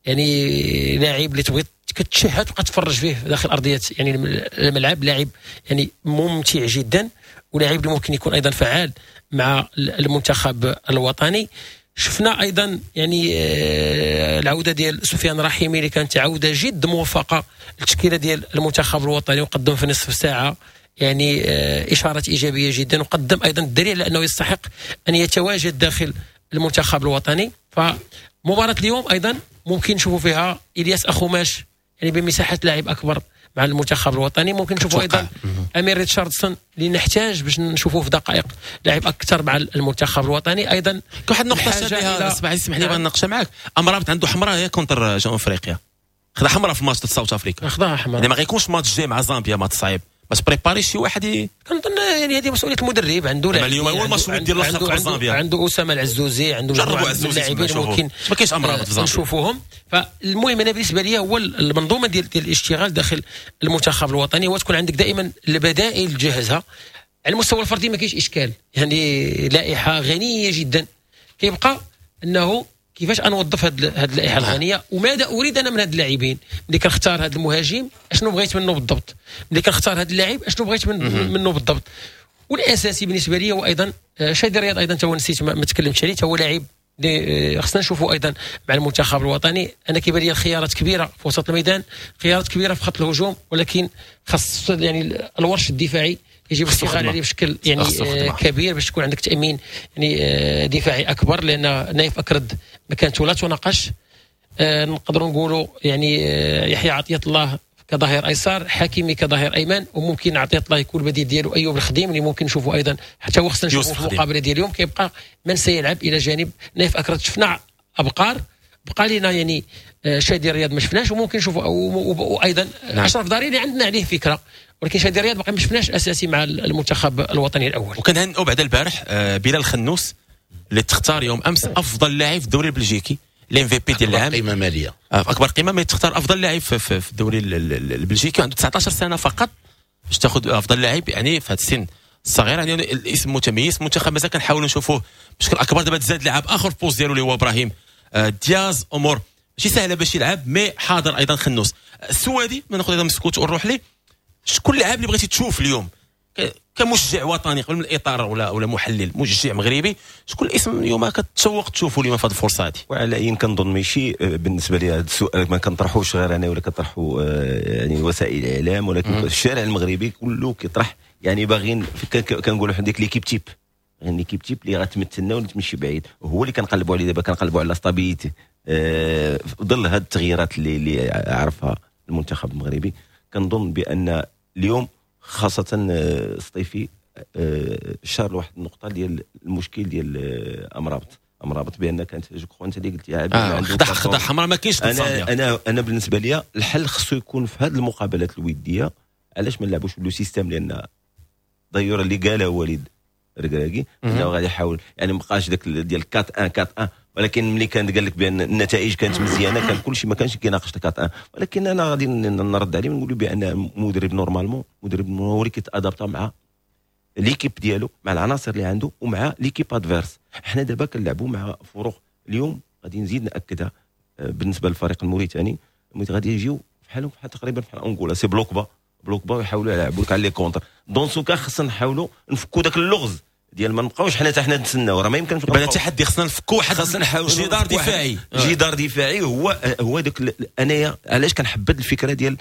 Speaker 4: يعني لاعب اللي تبغي كتشهد تبقى تفرج فيه داخل ارضية يعني الملعب، لاعب يعني ممتع جدا ولاعب اللي ممكن يكون ايضا فعال مع المنتخب الوطني. شفنا ايضا يعني العودة ديال سفيان رحيمي اللي كانت عوده جد موفقة للتشكيله ديال المنتخب الوطني، وقدم في نصف ساعة يعني اشارات ايجابية جدا، وقدم ايضا الدليل على انه يستحق ان يتواجد داخل المنتخب الوطني. فمباراه اليوم ايضا ممكن نشوفوا فيها الياس اخوماش يعني بمساحة لاعب اكبر مع المنتخب الوطني، ممكن نشوفوا ايضا امير ريتشاردسون اللي نحتاج باش نشوفوه في دقائق لاعب اكثر مع المنتخب الوطني. ايضا
Speaker 2: واحد النقطة شاديها اسمح لي نناقشها معاك، امرابط عنده حمراء هي contre جنوب افريقيا، خدا حمراء في ماتش South Africa،
Speaker 4: خداها حمراء،
Speaker 2: يعني ما غيكونش ماتش جاي مع زامبيا ماتش صعيب باش préparer شي واحد
Speaker 4: كنظن يعني هذه مسؤولية المدرب، عنده
Speaker 2: لاعب اليوم هو الماتش ديال الاخر زامبيا،
Speaker 4: عنده اسامة العزوزي، عنده
Speaker 2: مجموعة من
Speaker 4: اللاعبين ممكن
Speaker 2: ما كاينش امرابط في زامبيا
Speaker 4: نشوفوهم. فالمهم انا بالنسبة لي هو المنظومة ديال الاشتغال داخل المنتخب الوطني هو تكون عندك دائما البدائل تجهزها. على المستوى الفردي ما كاينش اشكال، يعني لائحة غنية جدا، كيبقى انه كيفاش انوظف هاد اللائحة الغنية وماذا اريد انا من هاد اللاعبين. ملي كنختار هاد المهاجم اشنو بغيت منه بالضبط، ملي كنختار هاد اللاعب اشنو بغيت منه بالضبط. والاساسي بالنسبة لي هو ايضا شادي رياض، ايضا تا هو نسيت ما تكلمتش عليه، تا هو لاعب خصنا نشوفوا ايضا مع المنتخب الوطني. انا كيبان لي الخيارات كبيرة في وسط الميدان، خيارات كبيرة في خط الهجوم، ولكن خاص يعني الورش الدفاعي يجب الاشتغال عليه بشكل يعني كبير باش تكون عندك تامين يعني دفاعي اكبر، لان نايف اكرد مكانته لا تناقش. نقدروا نقولوا يعني يحيى عطية الله كظهير ايسر، حكيمي كظهير ايمن، وممكن عطية الله يكون البديل ديالو ايوب الخديم اللي ممكن نشوفوا ايضا حتى هو خصنا نشوفوا في المقابلة ديال اليوم. كيبقى من سيلعب الى جانب نايف اكرد. شفنا ابقار، بقى لنا يعني شادي رياض ما شفناش، وممكن نشوفوا وايضا نعم. اشرف داري اللي عندنا عليه فكرة، ولكن شادي رياض باقي ما شفناش اساسي مع المنتخب الوطني الاول.
Speaker 2: وكنهنئوا بعد البارح بلال خنوس اللي تختار يوم امس افضل لاعب في الدوري البلجيكي، ال MVP ديال العام،
Speaker 5: قيمة ماليه
Speaker 2: اكبر قيمة، ما تختار افضل لاعب في الدوري البلجيكي، عنده 19 سنة فقط باش تاخذ افضل لاعب يعني في هذا السن الصغير، يعني الاسم متميز. المنتخب مازال كنحاولوا نشوفوه بشكل اكبر. دابا تزاد لاعب اخر في poste ديالو اللي هو ابراهيم دياز، امور ماشي سهلة باش يلعب، mais حاضر ايضا خنوس. السوادي ما ناخذ ايضا مسكوت ونروح ليه، شكون اللاعب اللي بغيتي تشوف اليوم كمشجع وطني قبل من الاطار ولا محلل، مشجع مغربي، شكون الاسم اليوم كتشوق تشوفوا اليوم في هذه الفرصة هذه؟
Speaker 6: وعلى اين كنظن ماشي بالنسبة لي هذا السؤال ما كنطرحوش غير انا ولا كطرحوا يعني وسائل الاعلام، ولكن الشارع المغربي كله كيطرح، يعني باغيين كنقولوا حنا ديك l'équipe type، يعني l'équipe type اللي غتمثلنا ولا تمشي بعيد، وهو اللي كنقلبوا عليه دابا، كنقلبوا على stabilité في ظل هذه التغييرات اللي عرفها المنتخب المغربي. كنظن بان اليوم خاصة السطيفي شار لواحد النقطة ديال المشكل ديال أمرابط بأن كانت je crois أنت اللي قلتي
Speaker 2: خدا حمراء ما كاينش.
Speaker 6: أنا بالنسبة لي الحل خصو يكون في هذه المقابلات الودية، علاش ما نلعبوش ب le système، لأن d'ailleurs اللي قاله وليد ركراكي انه غادي يحاول يعني ما بقاش داك ديال 4-1 4-1، ولكن ملي كان قال لك بان النتائج كانت مزيانه كان كل شيء ما كانش كيناقش 4-1، ولكن انا غادي نرد عليه ونقول بان مدرب normalement مدرب هو اللي كيت adapta مع l'équipe ديالو، مع العناصر اللي عنده ومع l'équipe adverse. حنا دابا كنلعبوا مع فرق اليوم غادي نزيد ناكدها بالنسبة للفريق الموريتاني، غادي يجيو بحالهم بحال تقريبا بحال انغولا، c'est bloc bas bloc bas، ويحاولوا يلعبوا لك على les contres. dans ce cas خصنا نحاولوا نفكوا داك اللغز ديال ما نبقاوش حنا حتى حنا نتسناو، راه ما يمكنش.
Speaker 2: بان التحدي خصنا نفكوا واحد،
Speaker 6: خاصنا نحاولوا
Speaker 2: جدار دفاعي.
Speaker 6: جدار دفاعي هو داك. انايا علاش كنحبد الفكرة ديال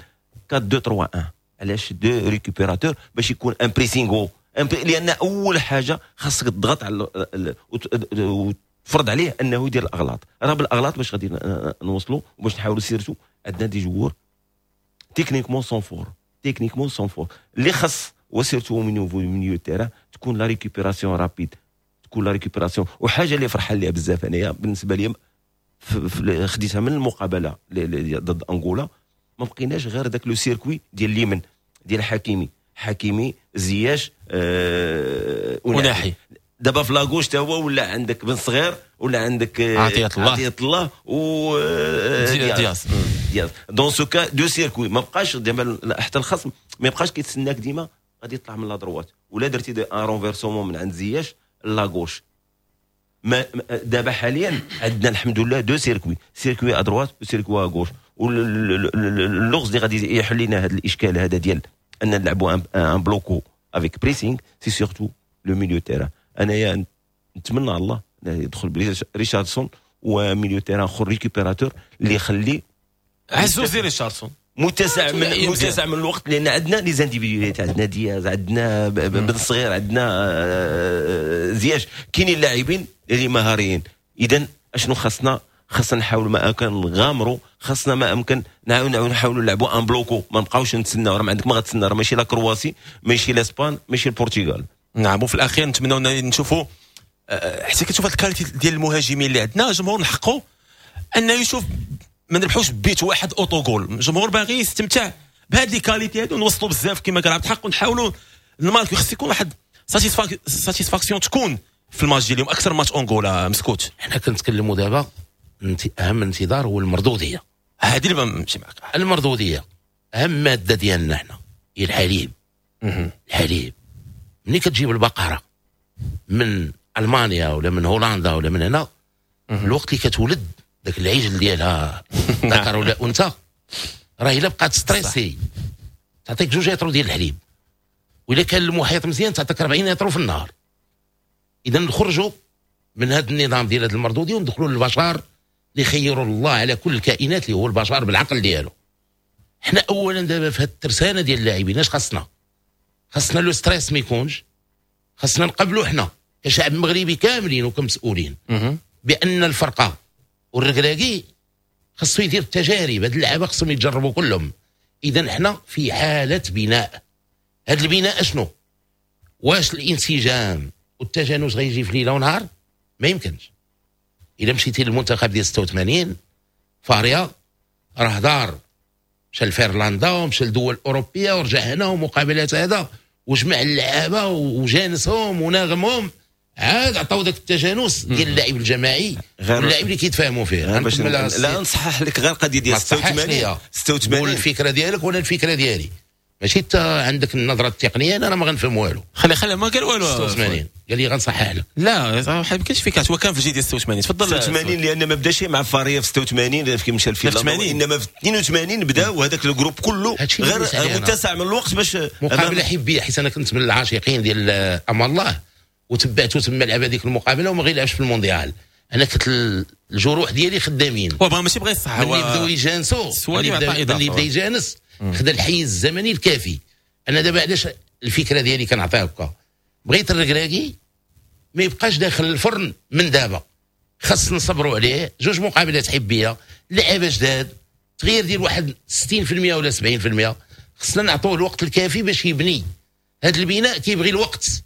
Speaker 6: 4 2 3 1؟ علاش deux récupérateurs؟ باش يكون un pressing haut، لان اول حاجة خاصك تضغط على وتفرض عليه انه يدير الاغلاط. راه بالاغلاط باش غادي نوصلوا وباش نحاولوا، surtout عندنا des joueurs techniquement sont forts، techniquement sont forts. اللي خاص و surtout من niveau milieu terrain تكون la récupération rapide، تكون la récupération. وحاجه اللي فرحان ليها بزاف انايا بالنسبة لي خديتها من المقابلة ضد انغولا، ما بقيناش غير داك le circuit ديال اليمن ديال حكيمي زياش
Speaker 2: وناحي.
Speaker 6: دابا في la gauche تا هو ولا عندك بن صغير ولا عندك
Speaker 2: عطية الله،
Speaker 6: عطية الله و
Speaker 2: دياز.
Speaker 6: دياز. dans ce cas deux circuits، ما بقاش دابا حتى الخصم ما يبقاش كيتسناك ديما غادي يطلع من la droite ولا درتي un renversement من عند زياش la gauche. ما دابا حاليا عندنا الحمد لله deux circuits، circuit à droite و circuit à gauche. واللغز اللي غادي يحل لنا هذا الاشكال هذا ديال ان نلعبوا un bloc haut avec pressing، c'est surtout le milieu terrain. انايا نتمنى على الله يدخل ريشاردسون و milieu terrain اخر récupérateur اللي يخلي
Speaker 2: عزوزي ريشاردسون.
Speaker 6: متسع من الوقت، لان عندنا les individualités، عندنا دياز، عندنا بن صغير، عندنا زياش، كاينين لاعبين اللي مهاريين. اذا اشنو خاصنا؟ خاصنا نحاولوا ما امكن نغامروا، خاصنا ما امكن نحاولوا نلعبوا un bloc haut، ما نبقاوش نتسناو. راه ما عندك ما غتسنى، راه ماشي la Croatie، ماشي l'Espagne، ماشي البرتغال.
Speaker 2: نعم، وفي الاخير نتمنوا نشوفوا حتى كتشوف هاد ال qualité ديال المهاجمين اللي عندنا، الجمهور نحقوا انه يشوف ما نربحوش بيت واحد autogol. الجمهور باغي يستمتع بهاد les qualités هادو، نوصلوا بزاف كما قال عبد الحق ونحاولوا نماركو. خص يكون واحد satisfaction تكون في الماتش ديال اليوم اكثر ماتش انغولا مسكوت.
Speaker 5: حنا كنتكلموا دابا، اهم انتظار هو المردوديه.
Speaker 2: هذه اللي نمشي معك.
Speaker 5: المردوديه اهم مادة ديالنا حنا هي الحليب. الحليب ملي كتجيب البقرة من المانيا ولا من هولندا ولا من هنا، الوقت اللي كتولد ذاك العجل ديالها ذكر ولا انثى، راه الا بقات stressée تعطيك 2 لتر ديال الحليب، واذا كان المحيط مزيان تعطيك 40 لتر في النهار. اذا نخرجوا من هذا النظام ديال هذا المردوديه وندخلوا للبشر اللي خيروا الله على كل الكائنات، اللي هو البشر بالعقل ديالو. حنا اولا دابا في هذه الترسانه ديال اللاعبين اش خاصنا؟ خاصنا le stress ما يكونش. خاصنا نقبلوا حنا كشعب مغربي كاملين وكمسؤولين بان الفرقة والركراكي خاصو يدير التجارب، هاد اللعابه خصهم يتجربوا كلهم. اذا حنا في حاله بناء. هاد البناء اشنو؟ واش الانسجام والتجانس غيجي في ليلة ونهار؟ ما يمكنش. الا مشيتي للمنتخب ديال 86 فاريا راه دار مشى لفنلندا ومشى لدول اوروبية ورجع هنا ومقابلات هذا وجمع اللعابه وجانسهم وناغمهم، عاد عطاو ذاك التجانس ديال اللاعب الجماعي واللاعب اللي كيتفاهموا فيه.
Speaker 6: باش لا نصحح لك غير قضية ديال 86.
Speaker 5: 86 الفكرة ديالك ولا الفكرة ديالي، ماشي انت عندك النظرة التقنيه، انا ما غنفهم والو.
Speaker 2: خلي خلي، ما قال والو.
Speaker 5: 86 قال لي غنصحح لك.
Speaker 2: لا، ما كاينش فكرة، هو كان في الجيل ديال 86. تفضل.
Speaker 6: 86 لان ما بداش مع فاريا في 86 كي مشى لفنلندا، انما في 82 بدا، وهذاك ال groupe كله غير متسع من الوقت باش
Speaker 5: مقابله حبيه، حيت انا كنت من العاشقين ديال امان الله وتبعته تما لعب هذيك المقابلة وما غيلعبش في المونديال. انا كنت الجروح ديالي خدامين.
Speaker 2: هو ماشي بغى يصح.
Speaker 5: ملي بداو يجانسوا، ملي بدا يجانس خدا الحيز الزمني الكافي. انا دابا علاش الفكرة ديالي كنعطيها هكا؟ بغيت الركراكي ما يبقاش داخل الفرن من دابا، خاص نصبروا عليه جوج مقابلات حبيه، لعابه جداد، تغيير ديال واحد 60% ولا 70%. خصنا نعطوه الوقت الكافي باش يبني. هذا البناء كيبغي الوقت.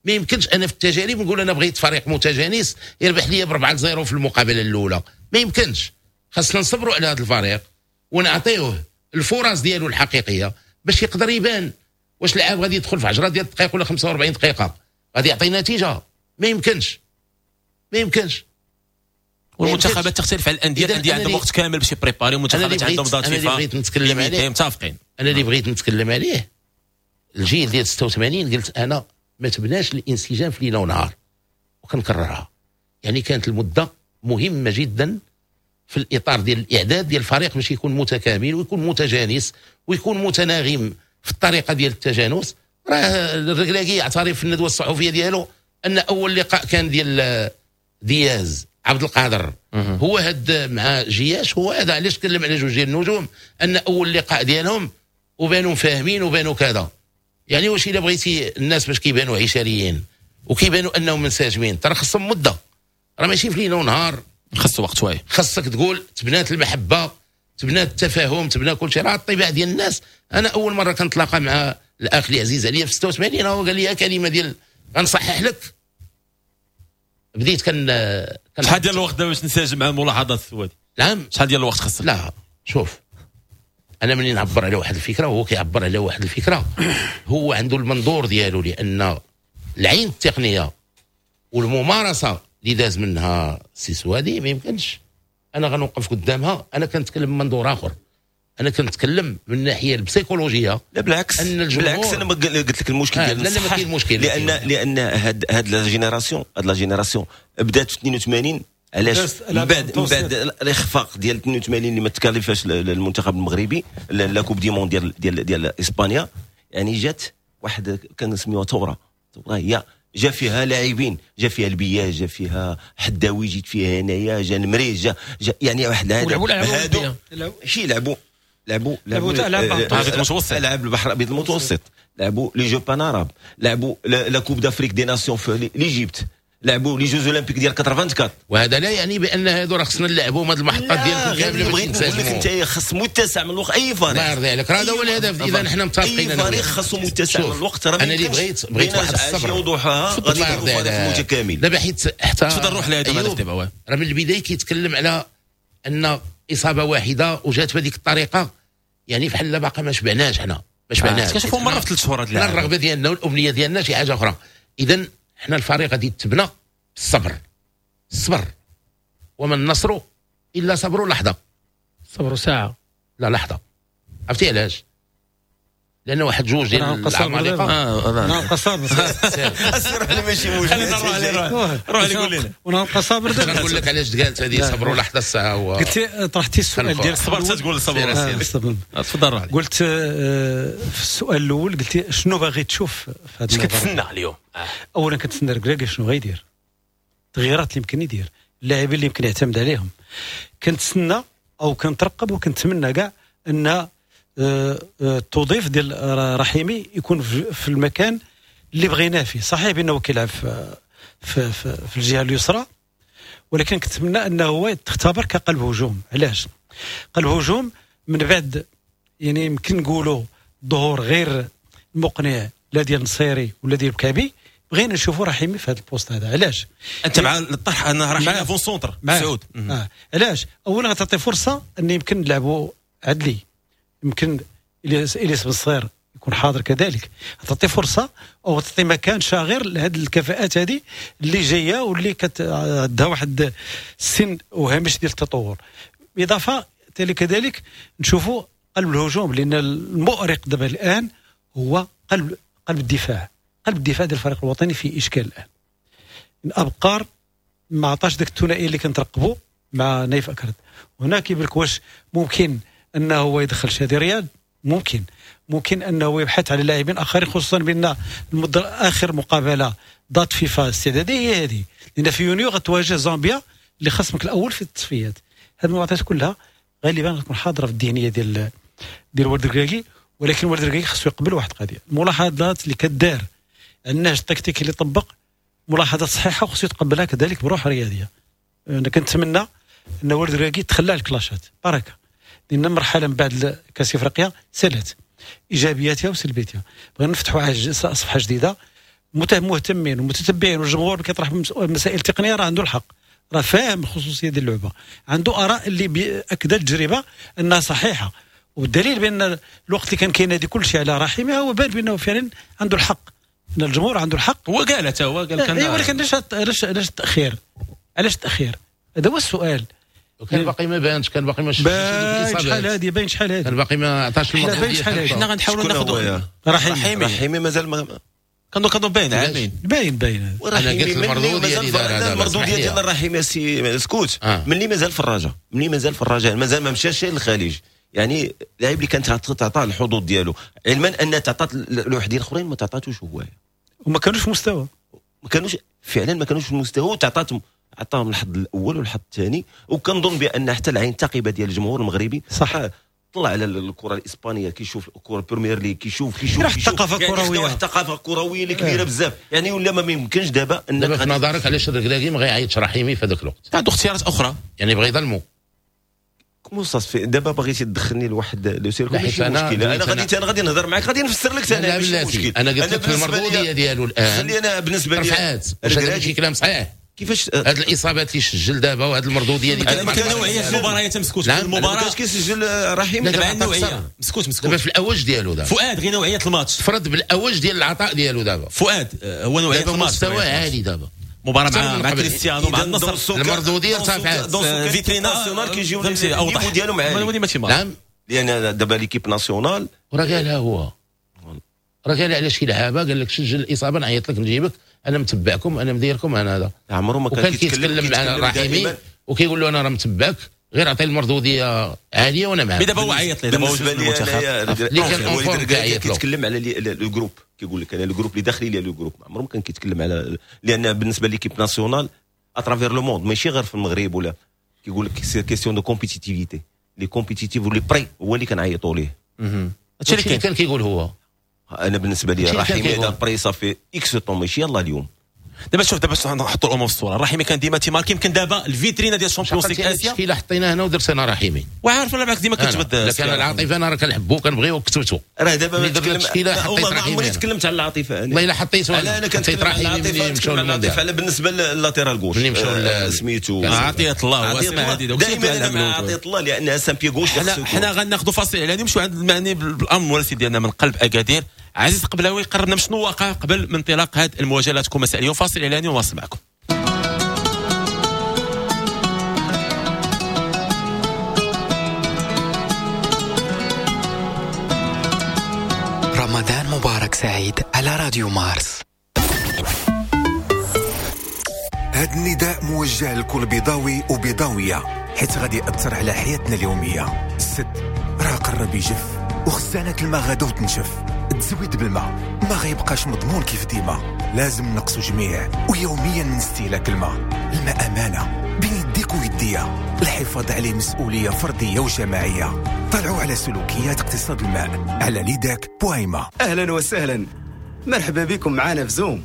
Speaker 5: ما يمكنش انا في التجارب نقول انا بغيت فريق متجانس يربح لي ب 4-0 في المقابلة الاولى، ما يمكنش. خاصنا نصبروا على هذا الفريق ونعطيوه الفرص ديالو الحقيقية باش يقدر يبان. واش اللاعب غادي يدخل في 10 ديال الدقائق ولا 45 دقيقة غادي يعطي نتيجه؟ ما يمكنش، ما يمكنش.
Speaker 2: والمنتخبات تختلف على الانديه، الاندية عندهم وقت كامل باش ي préparer، والمنتخبات عندهم date.
Speaker 5: انا اللي بغيت نتكلم عليه
Speaker 2: متفقين.
Speaker 5: انا اللي بغيت نتكلم عليه الجيل ديال 86، قلت انا ما تبناش الانسجام في ليلة ونهار وكنكررها. يعني كانت المدة مهمة جدا في الاطار ديال الاعداد ديال الفريق باش يكون متكامل ويكون متجانس ويكون متناغم في الطريقة ديال التجانس. راه الركراكي يعترف في الندوة الصحفية ديالو. ان اول لقاء كان ديال دياز عبد القادر هو هاد مع جياش، هو هذا علاش تكلم على جوج ديال النجوم، ان اول لقاء ديالهم وبانوا فاهمين وبانوا كذا. يعني واش الا بغيتي الناس باش كيبانوا عشريين وكيبانوا انهم منسجمين، ترى خصهم مده، راه ماشي في ليلة ونهار،
Speaker 2: خص وقت شوية،
Speaker 5: خصك تقول تبنات المحبة، تبنات التفاهم، تبنى كل شيء. راه الطباع ديال الناس. انا اول مرة كنتلاقى مع الاخ اللي عزيز عليا في 86، هو قال لي كلمة ديال غنصحح لك، بديت كان
Speaker 2: شحال ديال الوقت باش نسجل مع الملاحظات السوادي؟
Speaker 5: نعم
Speaker 2: شحال ديال الوقت خصك؟
Speaker 5: لا شوف، انا منين نعبر على واحد الفكرة وهو كيعبر على واحد الفكرة، هو عنده المنظور ديالو، لان العين التقنية والممارسة اللي داز منها سي سوادي ما يمكنش انا غنوقف قدامها. انا كنتكلم من منظور اخر، انا كنتكلم من الناحية البسيكولوجيه.
Speaker 6: لا بالعكس، بالعكس انا ما قلت لك المشكل ديال
Speaker 5: لا لا ما كاين مشكل،
Speaker 6: لان هاد la génération، هاد la génération بدات في 82. علاش؟ من بعد الاخفاق ديال 82 اللي ما تكاليفاش المنتخب المغربي la Coupe du monde ديال ديال ديال اسبانيا، يعني جات واحد كنسميوها ثورة، ثورة هي جا فيها لاعبين، جا فيها البياج، جا فيها حداوي، جيت فيها هنايا، جا نمري، جا يعني واحد هادو شي لعبوا لعبوا لعبوا العاب البحر الابيض المتوسط، لعبوا les Jeux panarabes، لعبوا la Coupe d'Afrique des Nations في l'Égypte، لعبوا les Jeux Olympiques ديال 84.
Speaker 5: وهذا لا يعني بان هادو راه خصنا نلعبوا هاد المحطات ديالكم كاملة.
Speaker 6: بغيت نقول لك انت خص متسع من الوقت اي فريق،
Speaker 5: الله يرضي عليك، هذا هو الهدف. اذا حنا متفقين،
Speaker 6: اي فريق خصو متسع من الوقت. راه
Speaker 5: انا اللي بغيت واحد الصبر
Speaker 6: وضوحها غادي يكون فريق متكامل.
Speaker 5: دابا حيت حتى
Speaker 2: تفضل روح لهذا الهدف دابا،
Speaker 5: راه من البداية كيتكلم على ان اصابه واحدة وجات بهذيك الطريقة، يعني بحال باقا ما شبعناش، حنا ما شبعناش.
Speaker 2: كنشوفوا مرة في 3 شهور هاد
Speaker 5: اللاعب. الرغبة ديالنا والامنية ديالنا شي حاجة اخرى. اذا حنا الفريق غادي يتبنى بالصبر، الصبر، وما النصر الا صبر لحظة،
Speaker 4: صبر ساعة،
Speaker 5: لا لحظة. عرفتي علاش؟ لان واحد جوج ديال العمالقة
Speaker 3: نبقى صابر.
Speaker 6: السر ماشي موجود،
Speaker 2: روح لي قول لنا
Speaker 3: ونبقى صابر.
Speaker 5: دابا نقول لك علاش قالت هذه صبروا لحظة الساعة. هو
Speaker 3: قلت طرحتي السؤال ديال
Speaker 2: الصبر، تقول الصبر. تفضل روح.
Speaker 3: قلت في السؤال الاول قلت شنو باغي تشوف في هذا،
Speaker 2: اش كتسنى اليوم؟
Speaker 3: اولا كنتسنى ركراكي شنو غيدير، التغييرات اللي يمكن يدير، اللاعبين اللي يمكن يعتمد عليهم. كنتسنى او كنترقب وكنتمنى كاع ان التوظيف ديال رحيمي يكون في المكان اللي بغيناه فيه. صحيح بانه كيلعب في, في, في الجهة اليسرى، ولكن كنتمنى انه هو تختبر كقلب هجوم. علاش قلب هجوم؟ من بعد يعني يمكن نقولوا ظهور غير مقنع لا ديال نصيري ولا ديال بكابي، بغينا نشوفوا رحيمي في هذا ال poste هذا. علاش؟
Speaker 2: انت مع الطرح ان رحيمي avant-centre سعود.
Speaker 3: علاش؟ اولا غتعطي فرصة ان يمكن نلعبوا عدلي، يمكن إلياس بن صغير يكون حاضر كذلك، تعطي فرصة او تعطي مكان شاغر لهذه الكفاءات هذه اللي جاية واللي عندها واحد السن وهامش ديال التطور. بالاضافة كذلك نشوفوا قلب الهجوم، لان المؤرق دابا الان هو قلب الدفاع. قلب الدفاع ديال الفريق الوطني في اشكال الان. الابقار ما عطاش داك الثنائية اللي كنترقبوا مع نايف اكرد. هنا كيبان لك واش ممكن انه هو يدخل شادي رياض، ممكن انه يبحث على لاعبين اخرين، خصوصا بان المدة اخر مقابله date فيفا استعداديه هي هذه، لان في يونيو غتواجه زامبيا اللي خصمك الاول في التصفيات. هذه المعطيات كلها غالبا غتكون حاضره في الذهنية ديال ولد الركراكي. ولكن ولد الركراكي خصو يقبل واحد القضية، الملاحظات اللي كدار النهج التكتيكي اللي طبق ملاحظات صحيحه وخصو يتقبلها كذلك بروح رياضية. انا كنتمنى ان ولد الركراكي تخلى على الكلاشات بركة، لان مرحلة من بعد كاس افريقيا سالت ايجابياتها وسلبياتها. بغينا نفتحوا صفحة جديدة، مهتمين ومتتبعين، والجمهور كيطرح مسائل تقنية راه عنده الحق، راه فاهم الخصوصية ديال اللعبة، عنده اراء اللي اكدت التجربة انها صحيحه. والدليل بان الوقت اللي كان كينادي كل شيء على رحيمي هو بان بانه فعلا عنده الحق، ان الجمهور عنده الحق.
Speaker 2: هو قال حتى هو قال كان،
Speaker 3: ولكن علاش التاخير؟ علاش التاخير؟ هذا هو السؤال.
Speaker 5: وكان باقي ما بانش، كان باقي ما
Speaker 3: شحال هذه باين، شحال هذه
Speaker 5: كان باقي ما عطاش
Speaker 3: المردود.
Speaker 2: حنا غنحاولوا ناخذوا
Speaker 6: رحيمي مازال ما
Speaker 2: كانوا باين عامين
Speaker 3: باين.
Speaker 5: انا قلت المردود ديال
Speaker 6: المردود ديال رحيمي سي سكوت ملي مازال في الرجاء، ملي مازال في الرجاء مازال ما مشاش للخليج، يعني اللاعب اللي كانت تعطاه الحظوظ ديالو، علما ان تعطات لوحدين اخرين ما تعطاتوش هو،
Speaker 3: وما كانوش في مستوى،
Speaker 6: ما كانوش فعلا، ما كانوش في المستوى، وتعطاتهم عطاهم الحظ الاول والحظ الثاني. وكنظن بان حتى العين الثاقبه ديال الجمهور المغربي
Speaker 3: صح
Speaker 6: طلع على الكره الاسبانية، كيشوف الكره البريمير ليغ، كيشوف
Speaker 3: واحد الثقافة كروية،
Speaker 6: واحد الثقافة كروية اللي كبيرة بزاف. يعني ولا ما يمكنش دابا
Speaker 5: ان دابا في نظرك علاش الركراكي ما غيعيطش رحيمي في هذاك الوقت؟
Speaker 2: عنده اختيارات اخرى، يعني بغى يظلمو.
Speaker 6: comment ça se fait دابا بغيتي تدخلني لواحد le circuit، ماشي مشكل. انا غادي نهضر معاك، غادي نفسر لك انا، ماشي مشكل.
Speaker 5: انا قلت لك المردوديه ديالو الان،
Speaker 6: خلي انا بالنسبة لي
Speaker 5: رفعات. واش هذا ماشي كلام صحيح؟
Speaker 6: كيفاش
Speaker 5: هاد الاصابات اللي سجل دابا وهاد المردوديه
Speaker 2: ديال نوعية المباريات مسكوت. المباراة
Speaker 6: كاش كيسجل رحيم
Speaker 2: دابا النوعية مسكوت
Speaker 5: دابا في الاوج ديالو دابا
Speaker 2: فؤاد، غير نوعية الماتش
Speaker 5: فرض بالاوج ديال العطاء ديالو دابا فؤاد
Speaker 2: هو نوعية الماتش
Speaker 5: مستوى عالي دابا.
Speaker 2: مباراة مع كريستيانو مع النصر
Speaker 5: المردوديه ارتفعت،
Speaker 2: فيترينا
Speaker 6: nationale كيجيو ال niveau ديالهم عالي.
Speaker 5: نعم،
Speaker 6: لان دابا l'équipe nationale
Speaker 5: راه قالها هو، راه قال على شي لعابه، قال لك سجل الاصابة نعيط لك نجيبك، انا متبعكم، انا مديركم، انا هذا.
Speaker 6: عمره ما
Speaker 5: كان كيتكلم مع رحيمي وكيقول له انا راه متبعك، غير عطي المردوديه عالية وانا معاك.
Speaker 2: دابا هو عيط ليه، دابا هو
Speaker 6: المنتخب اللي كان كيتكلم على le groupe، كيقول لك انا le groupe اللي داخلي لي le groupe، عمره ما كان كيتكلم على، لان بالنسبة l'équipe nationale à travers le monde ماشي غير في المغرب، ولا كيقول لك c'est question de compétitivité، les compétitifs و les prêts هو اللي كنعيطوا ليه.
Speaker 5: هادشي اللي كان كيقول هو.
Speaker 6: انا بالنسبة لي رحيمي هذا prêt ça fait X temps، ماشي يلاه اليوم.
Speaker 2: دابا شوف، دابا نحطوا الامور في الصورة. رحيمي كان ديما تيماركي، يمكن دابا الفيترينا ديال الشامبيونز ليغ اسيا
Speaker 5: التشكيلة حطيناها هنا ودرت انا رحيمي،
Speaker 2: وعارف ولا معاك ديما كتبدل.
Speaker 5: لكن العاطفة انا راه كنحبو كنبغيو وكتبتو.
Speaker 6: راه دابا ما
Speaker 5: التشكيلة حطيت رحيمي،
Speaker 6: عمري تكلمت على العاطفة انا،
Speaker 5: والله الا حطيت
Speaker 6: انا كنتكلم على العاطفة، نتكلم على العاطفة على بالنسبة لل latéral gauche سميتو
Speaker 2: عطية الله، واسماء هذه
Speaker 6: دائما انا مع عطية الله لانها c'est un pied gauche.
Speaker 2: حنا غناخذوا فاصل اعلاني ونمشيو عند المعني بالامر المراسل ديالنا من قلب اكادير عزيز قبلاوي، قربنا من شنو واقع قبل من انطلاق هذه المواجهة. تكون مساء اليوم، فاصل اعلاني ونواصل معكم.
Speaker 7: رمضان مبارك سعيد على راديو مارس.
Speaker 9: هذا النداء موجه لكل بيضاوي وبيضاويه، حيت غادي يأثر على حياتنا اليومية. السد راه قرب يجف، وخزانة الماء غادا وتنشف، التزويد بالماء ما غيبقاش مضمون كيف ديما. لازم نقصوا جميع ويوميا من استهلاك الماء. الماء امانه بين يديك ويديا، الحفاظ عليه مسؤولية فردية وجماعيه. طلعوا على سلوكيات اقتصاد الماء على ليداك بويما.
Speaker 10: اهلا وسهلا، مرحبا بكم معنا في زوم.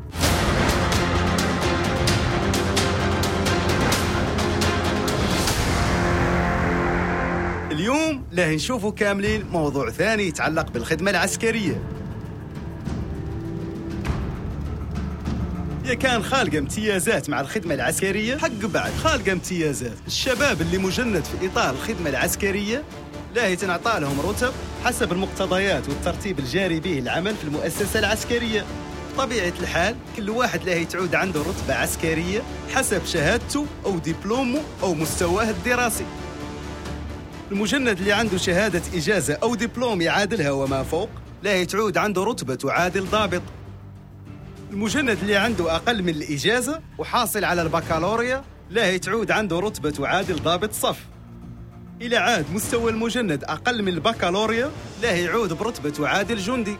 Speaker 10: اليوم لا نشوفوا كاملين موضوع ثاني يتعلق بالخدمة العسكرية. يا كان خالقة امتيازات مع الخدمة العسكرية، حق بعد خالقة امتيازات. الشباب اللي مجند في إطار الخدمة العسكرية لا يتنعطى لهم رتب حسب المقتضيات والترتيب الجاري به العمل في المؤسسة العسكرية. بطبيعة الحال كل واحد له تعود عنده رتبة عسكرية حسب شهادته أو دبلومه أو مستواه الدراسي. المجند اللي عنده شهادة إجازة أو دبلوم يعادلها وما فوق لا يتعود عنده رتبة تعادل ضابط. المجند اللي عنده أقل من الإجازة وحاصل على البكالوريا لا يتعود عنده رتبة تعادل ضابط صف. إلى عاد مستوى المجند أقل من البكالوريا لا يعود برتبة تعادل جندي.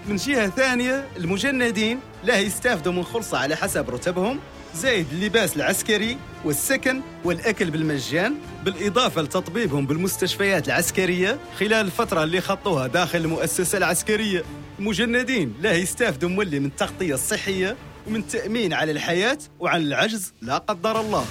Speaker 10: من جهة ثانية المجندين لا يستافدوا من خلصة على حسب رتبهم، زائد اللباس العسكري والسكن والأكل بالمجان، بالإضافة لتطبيبهم بالمستشفيات العسكرية خلال الفترة اللي خطوها داخل المؤسسة العسكرية. المجندين لا يستافدوا مولي من التغطية الصحية ومن التأمين على الحياة وعن العجز لا قدر الله.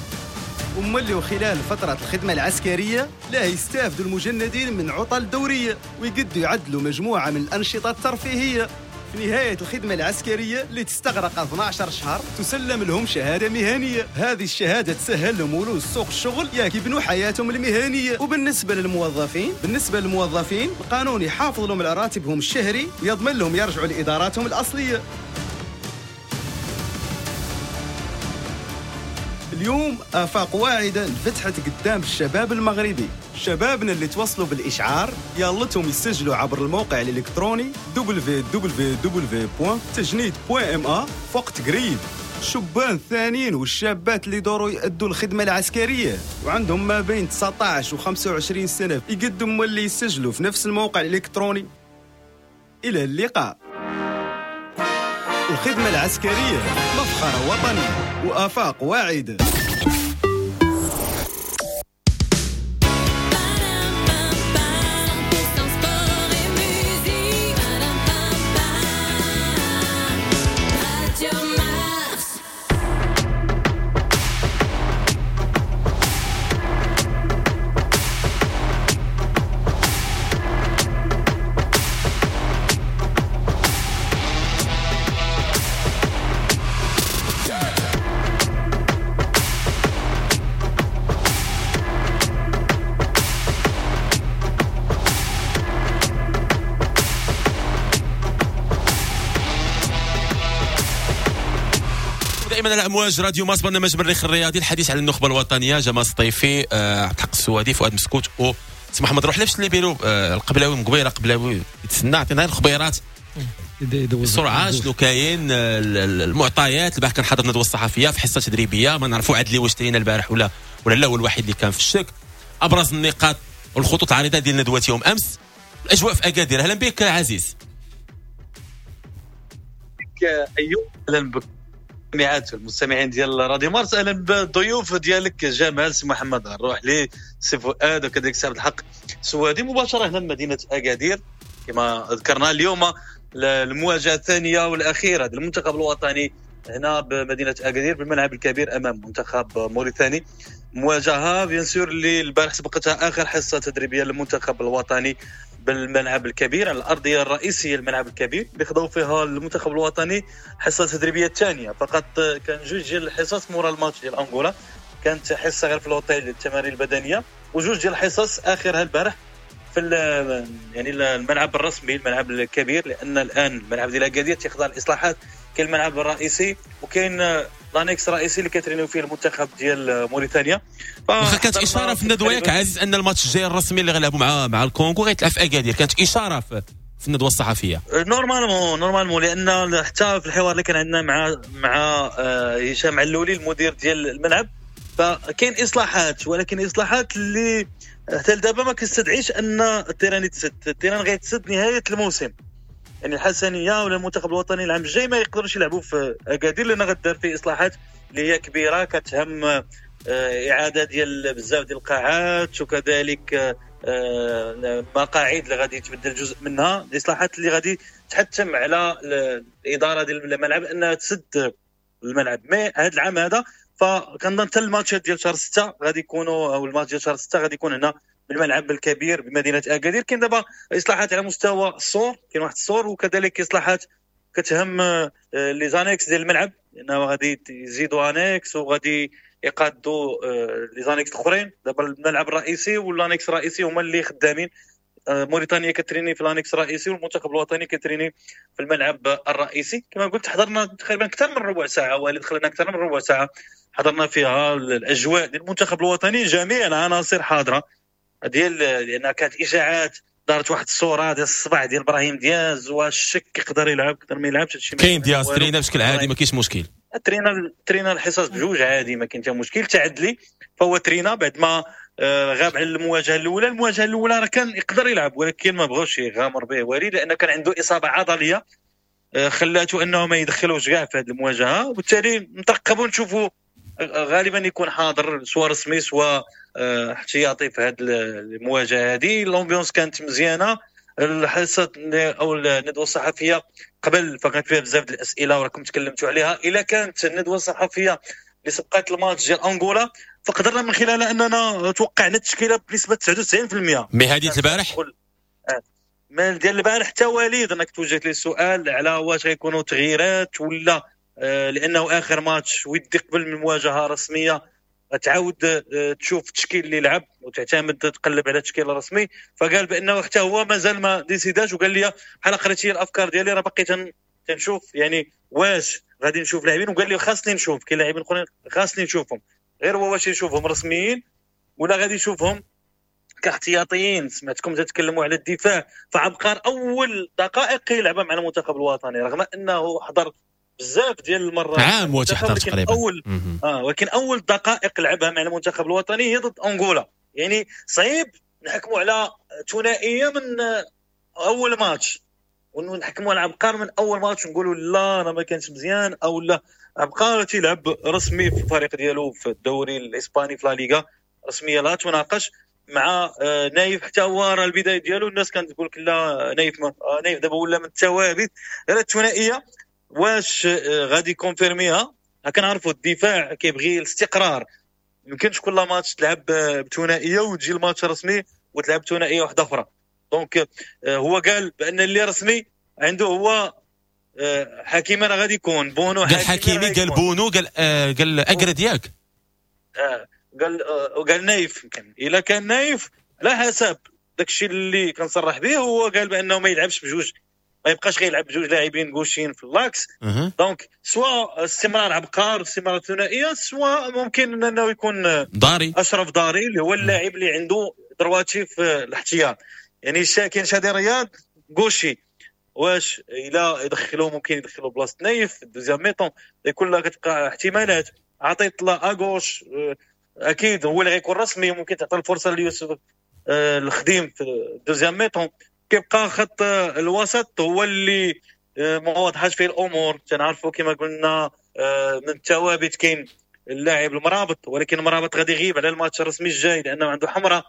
Speaker 10: ومولي وخلال فترة الخدمة العسكرية لا يستافدوا المجندين من عطل دورية ويقدوا يعدلوا مجموعة من الأنشطة الترفيهية. في نهاية الخدمة العسكرية اللي تستغرق 12 شهر تسلم لهم شهادة مهنية. هذه الشهادة تسهل لهم ولوج سوق الشغل ياك يبنوا حياتهم المهنية. وبالنسبة للموظفين القانون يحافظ لهم على راتبهم الشهري ويضمن لهم يرجعوا لإداراتهم الأصلية. اليوم آفاق واعدة انفتحت قدام الشباب المغربي. شبابنا اللي توصلوا بالإشعار يالتهم يسجلوا عبر الموقع الإلكتروني www.tajnid.ma في وقت قريب. الشبان الثانيين والشابات اللي دوروا يأدوا الخدمة العسكرية وعندهم ما بين 19 و 25 سنة يقدموا اللي يسجلوا في نفس الموقع الإلكتروني. إلى اللقاء. الخدمة العسكرية مفخرة وطنية وآفاق واعدة.
Speaker 2: دائما على امواج راديو مارس، برنامج مريخ الرياضي، الحديث على النخبة الوطنية، جمال السطيفي، عبد الحق السوادي، فؤاد مسكوت و سي محمد روح. لبس اللي بيرو القبلاوي من قبيلة قبلاوي يتسنى، عطينا الخبيرات بسرعة شنو كاين، المعطيات. البارح كان حاضر الندوة الصحفية في حصة تدريبية، ما نعرفوا عدلي واش ترينا البارح ولا لا، هو الوحيد اللي كان في الشك. ابرز النقاط والخطوط العريضة ديال ندوه يوم امس، الاجواء في اكادير. اهلا بك عزيز.
Speaker 11: ايوب، اهلا بك المستمعات والمستمعين ديال راديو مارس، اهلا بالضيوف ديالك جمال، سي محمد الروحلي، سي فؤاد، وكذلك سي عبد الحق سوادي، مباشرة هنا من مدينة اكادير. كما ذكرنا اليوم المواجهة الثانية والاخيرة ديال المنتخب الوطني هنا بمدينة اكادير بالملعب الكبير امام منتخب موريتاني. مواجهة bien sûr اللي البارح سبقتها اخر حصة تدريبية للمنتخب الوطني بالملعب الكبير على الارضية الرئيسية الملعب الكبير اللي خضوا فيها المنتخب الوطني حصة تدريبية الثانية. فقط كان جوج ديال الحصص مورا الماتش ديال انغولا، كانت حصة غير في الاوتيل للتمارين البدنية، وجوج ديال الحصص اخرها البارح في يعني الملعب الرسمي الملعب الكبير، لان الان الملعب ديال اكادير تيخضع الاصلاحات. كاين الملعب الرئيسي وكاين l'annexe الرئيسي اللي كترينيو فيه المنتخب ديال موريتانيا.
Speaker 2: واخا كانت اشارة في الندوة ياك عزيز ان الماتش الجاي الرسمي اللي غيلعبوا مع الكونغو غيتلعب في اكادير، كانت اشارة في الندوة الصحفية.
Speaker 11: normalement لان حتى في الحوار اللي كان عندنا مع هشام علولي المدير ديال الملعب، فكاين اصلاحات، ولكن اصلاحات اللي حتى لدابا ما كتستدعيش ان ال terrain يتسد. ال terrain غيتسد نهاية الموسم، يعني الحسنيه ولا المنتخب الوطني العام الجاي ما يقدروش يلعبوا في اكادير، لان غدار فيه اصلاحات اللي هي كبيرة كتهم اعاده ديال بزاف ديال القاعات، وكذلك مقاعد اللي غادي يتبدل جزء منها، الاصلاحات اللي غادي تحتم على الادارة ديال الملعب انها تسد الملعب. mais هذا العام هذا فكنظن حتى الماتشات ديال شهر 6 غادي يكونوا، او الماتش ديال شهر 6 غادي يكون هنا بالملعب الكبير بمدينة اكادير. كاين دابا اصلاحات على مستوى السور، كاين واحد السور، وكذلك اصلاحات كتهم les annexes ديال الملعب، لانه غادي يزيدوا annexe وغادي يقادوا les annexes الاخرين. دابا الملعب الرئيسي وال annexe الرئيسي هما اللي خدامين. موريتانيا كتريني في l'annexe الرئيسي والمنتخب الوطني كتريني في الملعب الرئيسي. كما قلت حضرنا تقريبا اكثر من ربع ساعة، واللي دخلنا اكثر من ربع ساعة حضرنا فيها الاجواء ديال المنتخب الوطني، جميع العناصر حاضره ديال، لان كانت اشاعات دارت واحد الصورة ديال الصبع ديال ابراهيم دياز والشك يقدر يلعب يقدر ما يلعبش. هادشي
Speaker 2: كاين دياز ترينا بشكل عادي ما كاينش مشكل،
Speaker 11: ترينا الحصص بجوج عادي ما كاين حتى مشكل. تعدلي فهو ترينا بعد ما غاب على المواجهة الاولى. المواجهة الاولى راه كان يقدر يلعب ولكن ما بغاوش يغامر به وليد، لان كان عنده اصابه عضلية خلاته انه ما يدخلوش كاع في هذه المواجهة، وبالتالي نترقبوا نشوفوا غالبا يكون حاضر سواء رسمي سواء احتياطي في هذه المواجهة هذه. l'ambiance كانت مزيانه، الحصة او الندوة الصحفية قبل فكانت فيها بزاف ديال الاسئلة وراكم تكلمتوا عليها. الا كانت الندوة الصحفية اللي سبقت الماتش ديال انغولا فقدرنا من خلالها اننا توقعنا التشكيلة بنسبة 99%.
Speaker 2: mais هذه البارح
Speaker 11: ما ديال البارح حتى وليد انك توجهت لي السؤال على واش غيكونوا تغييرات ولا، لانه اخر ماتش ودي قبل من مواجهة رسمية تعاود تشوف التشكيل اللي لعب وتعتمد تقلب على التشكيل الرسمي. فقال بانه حتى هو مازال ما ديسيداش، وقال لي بحال قريتي الافكار ديالي راه باقي تنشوف يعني واش غادي نشوف لاعبين، وقال لي خاصني نشوف كاين لاعبين اخرين خاصني نشوفهم، غير هو واش يشوفهم رسميين ولا غادي يشوفهم كاحتياطيين. سمعتكم تتكلموا على الدفاع، فعبقار اول دقائق يلعبها مع المنتخب الوطني رغم انه حضر بزاف ديال المرات
Speaker 2: عام وتحضر تقريبا
Speaker 11: اول ولكن اول دقائق لعبها مع المنتخب الوطني هي ضد انغولا. يعني صعيب نحكموا على ثنائية من اول ماتش، ونحكموا على عبقار من اول ماتش نقولوا لا راه ما كانش مزيان او لا. عبقار تيلعب رسمي في الفريق ديالو في الدوري الاسباني في لا ليغا، رسمية لا تناقش. مع نايف حتى هو راه البداية ديالو الناس كانت تقول لك لا نايف نايف دابا ولا من الثوابت. غير الثنائية واش غادي confirmer ها؟ كنعرفوا الدفاع كيبغي الاستقرار، يمكنش كل ماتش تلعب بثنائيه وتجي الماتش رسمي وتلعب ثنائية واحدة اخرى. donc هو قال بان اللي رسمي عنده هو حكيمي راه غادي يكون بونو.
Speaker 2: قال حكيمي، قال بونو، قال قال اكرد ياك،
Speaker 11: قال نايف. يمكن الا كان نايف على حسب داكشي اللي كنصرح به، هو قال بانه ما يلعبش بجوج، ما يبقاش غيلعب بجوج لاعبين gauchers في l'axe. donc soit استمرار عبقار استمرار ثنائية، soit ممكن انه يكون
Speaker 2: داري،
Speaker 11: اشرف داري اللي هو اللاعب اللي عنده droitier في الاحتياط. يعني كاين شادي رياض gaucher، واش الى يدخلوا ممكن يدخلوا بلاصة نايف deuxième mi-temps، كلها كتبقى احتمالات. عطيت لا à gauche اكيد هو اللي غيكون رسمي، ممكن تعطي الفرصة ليوسف الخديم في deuxième mi-temps. كيبقى خط الوسط هو اللي ما واضحاش فيه الامور. تنعرفوا كما قلنا من الثوابت كاين اللاعب المرابط، ولكن المرابط غادي يغيب على الماتش الرسمي الجاي لانه عنده حمراء.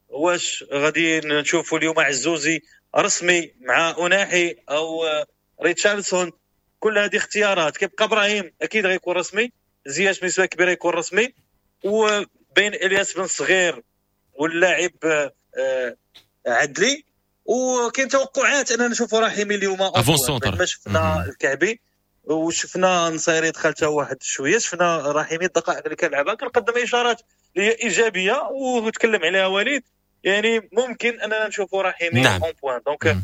Speaker 11: واش غادي نشوفوا اليوم عزوزي رسمي مع أناحي او ريتشاردسون؟ كل هذه اختيارات. كيبقى ابراهيم اكيد غيكون رسمي، زياش بنسبة كبيرة يكون رسمي، وبين الياس بن صغير واللاعب عدلي. وكاين توقعات اننا نشوفوا رحيمي اليوم ما شفنا الكعبي وشفنا نصيري دخل حتى واحد شوية، شفنا رحيمي الدقائق اللي كان لعبها كنقدم اشارات اللي هي ايجابية وتكلم عليها وليد. يعني ممكن اننا نشوفوا رحيمي en pointe. donc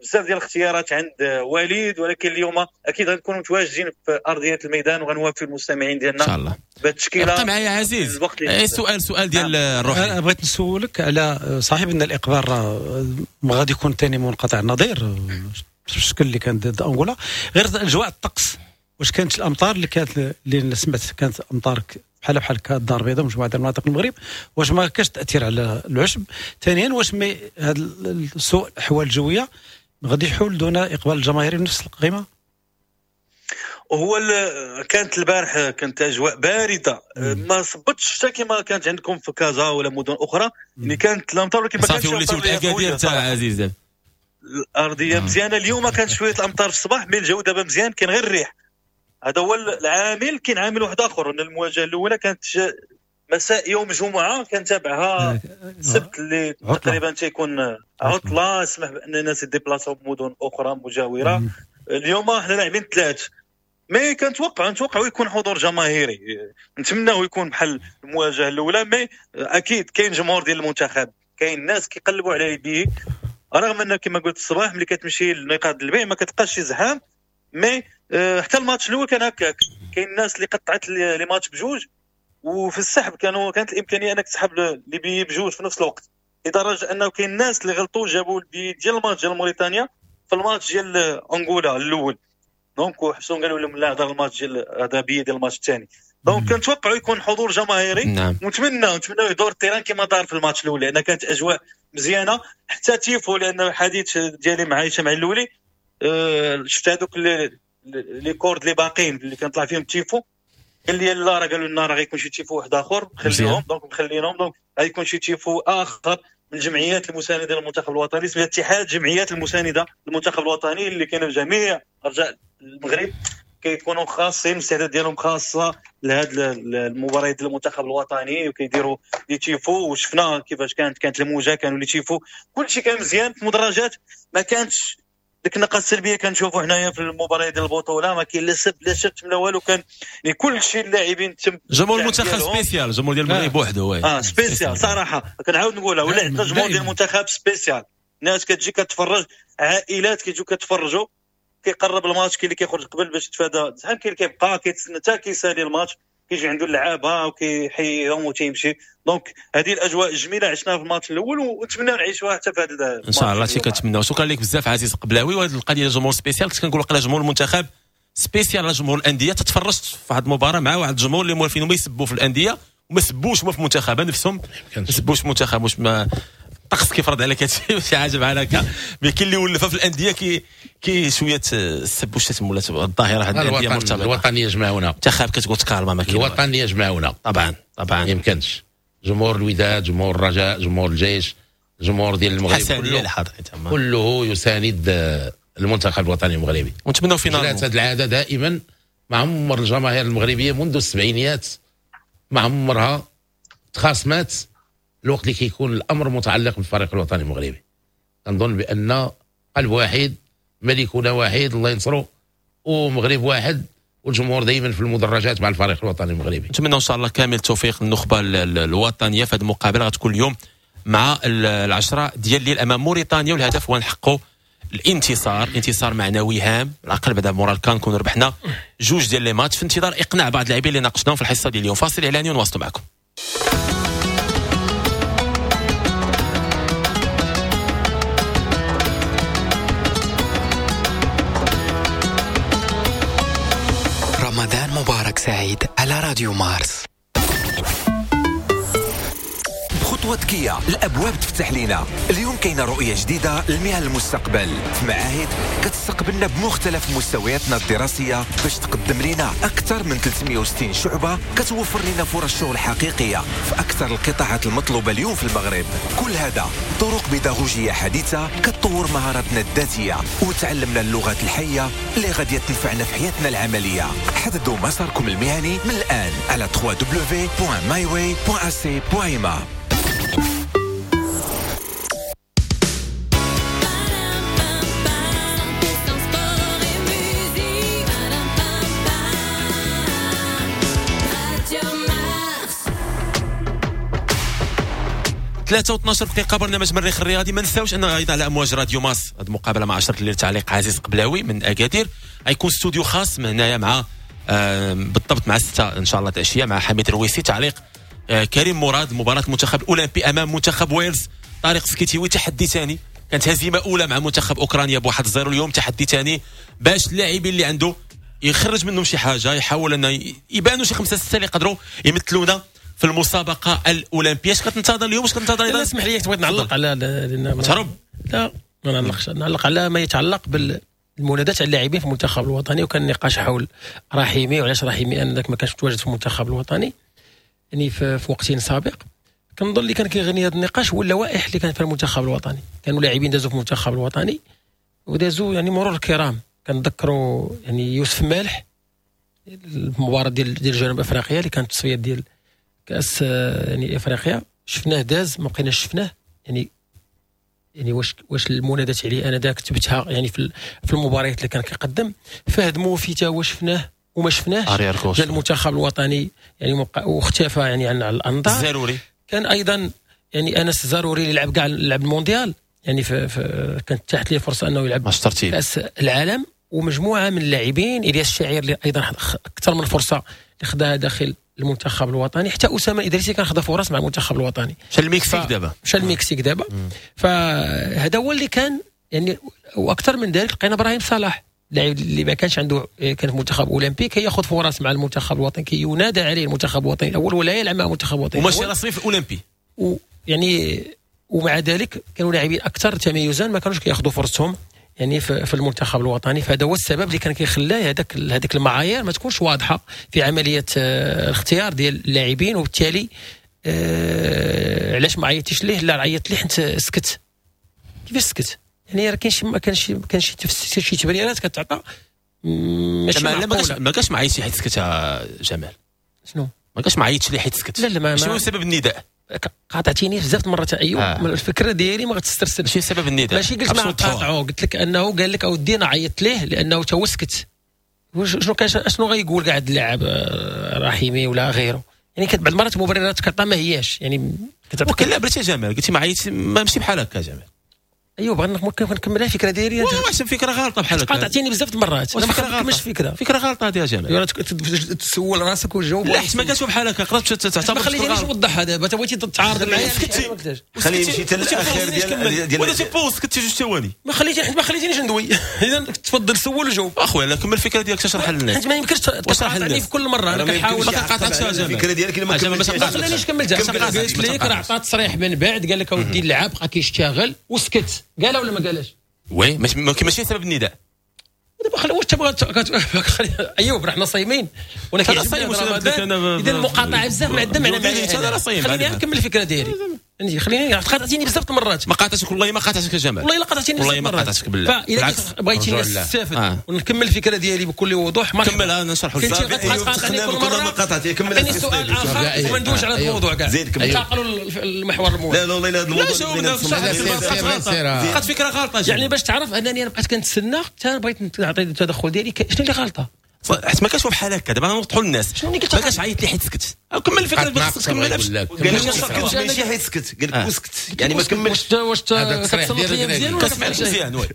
Speaker 11: بزاف ديال الاختيارات عند وليد، ولكن اليوم اكيد غنكونوا متواجدين في ارضية الميدان وغنوافي المستمعين ديالنا
Speaker 2: ان شاء الله
Speaker 11: بالتشكيله.
Speaker 2: بقى معايا عزيز، سؤال ديال الروح.
Speaker 3: انا بغيت نسولك على صاحب ان الاقبال راه غادي يكون ثاني منقطع النظير بالشكل اللي كان ضد انغولا، غير اجواء الطقس واش كانت الامطار اللي كانت اللي سمعت كانت امطار بحال الدار البيضاء ومجموعة ديال المناطق المغرب، واش ما كاش تاثير على العشب؟ ثانيا واش هذا سوء الاحوال الجوية غادي يحول دون اقبال الجماهير بنفس القيمة؟
Speaker 11: هو كانت البارح كانت اجواء باردة، ما صبتش الشتا كما كانت عندكم في كازا ولا مدن اخرى، يعني كانت الامطار ولكن ما كانتش
Speaker 2: صافي وليتي الاكادير تاع عزيز
Speaker 11: الارضية مزيانه. اليوم كانت شوية الامطار في الصباح، mais الجو دابا مزيان، كاين غير الريح. هذا هو العامل. كاين عامل واحد اخر، ان المواجهة الاولى كانت مساء يوم الجمعة، كان تابعها السبت اللي تقريبا تيكون عطله، سمح بان الناس يديبلاصاو بمدن اخرى مجاوره. اليوم احنا لاعبين ثلاث، mais كنتوقعوا يكون حضور جماهيري، نتمناه يكون بحال المواجهة الاولى. mais اكيد كاين جمهور ديال المنتخب، كاين ناس كيقلبوا على les billets، رغم ان كما قلت الصباح ملي كتمشي لنقاط البيع ما كتلقاش شي زحام، mais حتى الماتش الاول كان هكاك، كاين الناس اللي قطعت les matchs بجوج، وفي السحب كانت الامكانية انك تسحب les billets بجوج في نفس الوقت، لدرجة انه كاين الناس اللي غلطوا جابوا البي ديال الماتش ديال موريتانيا في الماتش ديال انغولا الاول، donc وحبسوا قالوا لهم لا هذا الماتش ديال هذا billet ديال الماتش الثاني. donc كنتوقعوا يكون حضور جماهيري. نعم. ونتمنى يدور ال terrain كما دار في الماتش الاول، لان كانت اجواء مزيانه حتى تيفو، لان الحديث ديالي مع هشام علولي شفت هذوك les cordes اللي باقيين اللي كنطلع فيهم تيفو، قال لي لا راه قالوا لنا راه غيكون شي تيفو واحد اخر خليهم، donc مخلينهم، donc غيكون شي تيفو اخر من الجمعيات المساندة للمنتخب الوطني، اسمها اتحاد جمعيات المساندة للمنتخب الوطني، اللي كاينه في جميع ارجاء المغرب، كيكونوا خاصين الاستعداد ديالهم خاصة لهاد المباريات ديال المنتخب الوطني، وكيديروا les tifos. وشفنا كيفاش كانت الموجه، كانوا les tifos، كلشي كان مزيان في المدرجات، ما كانتش ديك النقاط السلبية كنشوفوا حنايا في المباريات ديال البطولة، ما كاين لا سب لا شتم لا والو، كان كل شيء اللاعبين تم
Speaker 2: جمهور المنتخب spécial، جمهور ديال المغرب بوحده
Speaker 11: spécial صراحة، كنعاود نقولها، ولا عندنا جمهور ديال المنتخب spécial، ناس كتجي كتفرج، عائلات كيجيو كتفرجوا، كيقرب الماتش، كاين اللي كيخرج قبل باش يتفادى الزحام، كاين اللي كيبقى كيتسنى حتى كيسالي الماتش، كيجي عنده اللعابه وكيحييهم وتيمشي. donc هذه الاجواء الجميلة عشناها في الماتش الاول، ونتمنى نعيشوها حتى في هذا
Speaker 2: ان شاء الله. شي كنتمناو. شكرا لك بزاف عزيز قبلاوي. وهذه القضية ديال الجمهور spécial، كنت كنقول قلا جمهور المنتخب spécial على جمهور الاندية. تتفرجت في واحد المباراة مع واحد الجمهور اللي موالفين ما يسبوا في الاندية وما سبوش هما في المنتخب نفسهم، ما سبوش المنتخب. واش ما الطقس كيفرض عليك هادشي شي حاجة بحال هكا، mais كاين اللي ولفها في الاندية كي شوية السب والشتم ولا الظاهرة هاد الاندية مرتبطة.
Speaker 5: الوطن يجمعنا،
Speaker 2: منتخب كتقول تكالما ما كاين،
Speaker 5: الوطن يجمعنا
Speaker 2: طبعا طبعا، ما
Speaker 5: يمكنش. جمهور الوداد، جمهور الرجاء، جمهور الجيش، جمهور ديال المغرب كله كله يساند المنتخب الوطني المغربي،
Speaker 2: ونتمنوا finale.
Speaker 5: هذه العادة دائما مع عمر الجماهير المغربية منذ السبعينيات مع عمرها تخاصمات الوقت اللي كيكون الامر متعلق بالفريق الوطني المغربي. كنظن بان قلب واحد، ملكنا واحد الله ينصرو، ومغرب واحد، والجمهور دائما في المدرجات مع الفريق الوطني المغربي.
Speaker 2: نتمنى ان شاء الله كامل التوفيق للنخبه الوطنية في هذه المقابلة، غتكون اليوم مع 10 ديال الليل امام موريتانيا، والهدف هو نحققوا الانتصار، انتصار معنوي هام على الاقل بعد مورال كان نكونوا ربحنا جوج ديال les matchs، في انتظار اقناع بعض اللاعبين اللي ناقشناهم في الحصة ديال اليوم. فاصل اعلاني ونواصلوا معكم.
Speaker 7: رمضان مبارك سعيد على راديو مارس.
Speaker 9: بخطوة كيا الأبواب تفتح لنا. اليوم كاينة رؤية جديدة لمهن المستقبل في معاهد كتستقبلنا بمختلف مستوياتنا الدراسية باش تقدم لنا أكثر من 360 شعبة كتوفر لنا فرص شغل حقيقية في أكثر القطاعات المطلوبة اليوم في المغرب. كل هذا طرق بيداغوجية حديثة كتطور مهاراتنا الذاتية وتعلمنا اللغات الحية اللي غادي تنفعنا في حياتنا العملية. حددوا مساركم المهني من الآن على www.myway.ac.ma.
Speaker 2: ثلاثة و12 دقيقة برنامج مريخ الرياضي. ما نساوش أن أيضا على أمواج راديو ماس هذه المقابلة مع 10 الليل تعليق عزيز قبلاوي من أكادير، غيكون استوديو خاص من هنايا مع بالضبط مع 6 إن شاء الله العشية مع حميد الرويسي، تعليق كريم مراد مباراة المنتخب الأولمبي أمام منتخب ويلز. طارق سكيتيوي تحدي ثاني، كانت هزيمة أولى مع منتخب أوكرانيا ب1-0، اليوم تحدي ثاني باش اللاعبين اللي عنده يخرج منهم شي حاجة، يحاول أن يبانوا شي 5 6 اللي يقدروا يمثلونا في المسابقة الأولمبية. اش كتنتظر اليوم؟ اش كتنتظر؟
Speaker 4: لا اسمح لي بغيت نعلق على
Speaker 2: تهرب.
Speaker 4: لا ما نعلقش، نعلق على ما يتعلق بالمنادات على اللاعبين في المنتخب الوطني، وكان النقاش حول رحيمي وعلاش رحيمي انذاك ما كانش متواجد في المنتخب الوطني يعني في وقت سابق. كنظن اللي كان كيغني هذا النقاش هو اللوائح اللي كانت في المنتخب الوطني، كانوا لاعبين دازوا في المنتخب الوطني ودازوا يعني مرور الكرام. كنذكروا يعني يوسف مالح المباراة ديال جنوب افريقيا اللي كانت تصفية ديال كاس يعني افريقيا، شفناه داز ما بقيناش شفناه. يعني واش المنادات عليه انا داك كتبتها يعني في المباريات اللي كان كيقدم. فهد موفي تا هو شفناه وما شفناهش جا المنتخب الوطني يعني واختفى يعني عن الانظار.
Speaker 2: زاروري
Speaker 4: كان ايضا يعني انس الزاروري اللي لعب كاع لعب المونديال يعني في كانت تاحت ليه فرصة انه يلعب كاس العالم، ومجموعة من اللاعبين الياس الشعير اللي ايضا اكثر من فرصة اللي خداها داخل المنتخب الوطني، حتى اسامة الادريسي كان خدا فرص مع المنتخب الوطني.
Speaker 2: مشى المكسيك دابا،
Speaker 4: مشى المكسيك دابا. فهذا هو اللي كان يعني. واكثر من ذلك لقينا ابراهيم صلاح اللاعب اللي ما كانش عنده، كان في منتخب اولمبي كياخذ فرص مع المنتخب الوطني، كينادى عليه المنتخب الوطني الاول ولا يلعب مع المنتخب الوطني
Speaker 2: وماشي رسمي في الاولمبي.
Speaker 4: ويعني ومع ذلك كانوا لاعبين اكثر تميزا ما كانوش كياخذوا فرصتهم يعني في المنتخب الوطني. فهذا هو السبب اللي كان كيخلى هذيك المعايير ما تكونش واضحة في عملية الاختيار ديال اللاعبين، وبالتالي علاش ما عيطتيش ليه؟ لا عيطت ليه حيت سكت. كيفاش سكت؟ يعني راه كاين شي ما كانش كان شي تفسير شي تبريرات كتعطى ماشي
Speaker 2: معقولة. ما كاش ما عيطش حيت سكت جمال.
Speaker 4: شنو
Speaker 2: ما كاش ما عيطش ليه حيت سكت؟
Speaker 4: لا لا
Speaker 2: ماشي هو سبب النداء.
Speaker 4: قاطعتيني بزاف المرات ايوب. الفكرة ديالي ما غتسترسلش.
Speaker 2: ماشي سبب النداء،
Speaker 4: ماشي قلت ما قاطعو، قلت لك انه قال لك اودي انا عيطت ليه لانه تا هو سكت. شنو كان شنو غايقول كاع هاد اللاعب رحيمي ولا غيره؟ يعني كانت بعض المرات مبررات كتعطى ما هياش يعني
Speaker 2: كتعطي. لا بلاتي جمال قلتي ما عيطش، ماشي بحال هكا جمال.
Speaker 4: ايوا بغينا ممكن نكمل الفكرة ديالي.
Speaker 2: واش فكرة غلطه بحال هكا؟
Speaker 4: قاطعتيني بزاف المرات. انا ما كنكملش فكرة،
Speaker 2: فكرة غلطه هذه يا جماعة.
Speaker 4: تسول راسك وتجاوب.
Speaker 2: لا حيت ما كانش بحال هكا، قدرت تعتبر.
Speaker 4: ما خليتنيش نوضحها دابا، انت بغيتي تتعارض معايا.
Speaker 6: خليه يمشي حتى الاخير ديال
Speaker 2: ولا تيبوز كنتي جوج ثواني.
Speaker 4: ما خليتينيش ندوي. اذا تفضل سول وجاوب.
Speaker 2: اخويا لا كمل الفكرة ديالك تشرح للناس.
Speaker 4: حيت ما يمكنش تقاطعني في كل مرة. انا كنحاول
Speaker 2: ما قاطعتش يا جماعة
Speaker 6: الفكرة ديالك.
Speaker 4: ما خلانيش كملتها. قلت لك راه عطى تصريح من بعد، قال لك اودي اللعاب بقى كيشتغل وسكت. قالها ولا ما قالهاش؟
Speaker 2: oui ماشي سبب النداء.
Speaker 4: دابا خلي واش تبغى. ايوب راه حنا صايمين وانا كيعجبني رمضان. اذا المقاطعة بزاف ما عندنا معنى.
Speaker 2: انا راه صايم.
Speaker 4: خليني نكمل الفكرة ديالي. خليني قاطعتيني بزاف المرات.
Speaker 2: ما قاطعتك والله، ما قاطعتك يا جمال.
Speaker 4: والله الا قاطعتيني
Speaker 2: والله ما قاطعتك بالله.
Speaker 4: فاذا بغيتي نستافد ونكمل الفكرة ديالي بكل وضوح
Speaker 2: مرحبا. كمل انا نشرح
Speaker 4: لك. كنتي كل مرة
Speaker 6: ما قاطعتي.
Speaker 4: كمل السؤال اخر وما ندوش على الموضوع كاع. ننتقلوا للمحور الموالي.
Speaker 6: لا لا والله هذا الموضوع
Speaker 2: بقات فكرة غلطه.
Speaker 4: يعني باش تعرف انني انا بقيت كنتسنى حتى بغيت نعطي التدخل ديالي. شنو اللي غلطه؟
Speaker 2: حيت ما كانش بحال هكا. دابا نوضحوا للناس. ما كانش عيط لي حيت سكت. كمل الفكرة اللي خصك تكملها.
Speaker 6: قال لك ماشي حيت سكت، قال لك وسكت يعني ما كملش.
Speaker 4: واش كتصنت لي مزيان ولا
Speaker 2: كتسمع مزيان؟ oui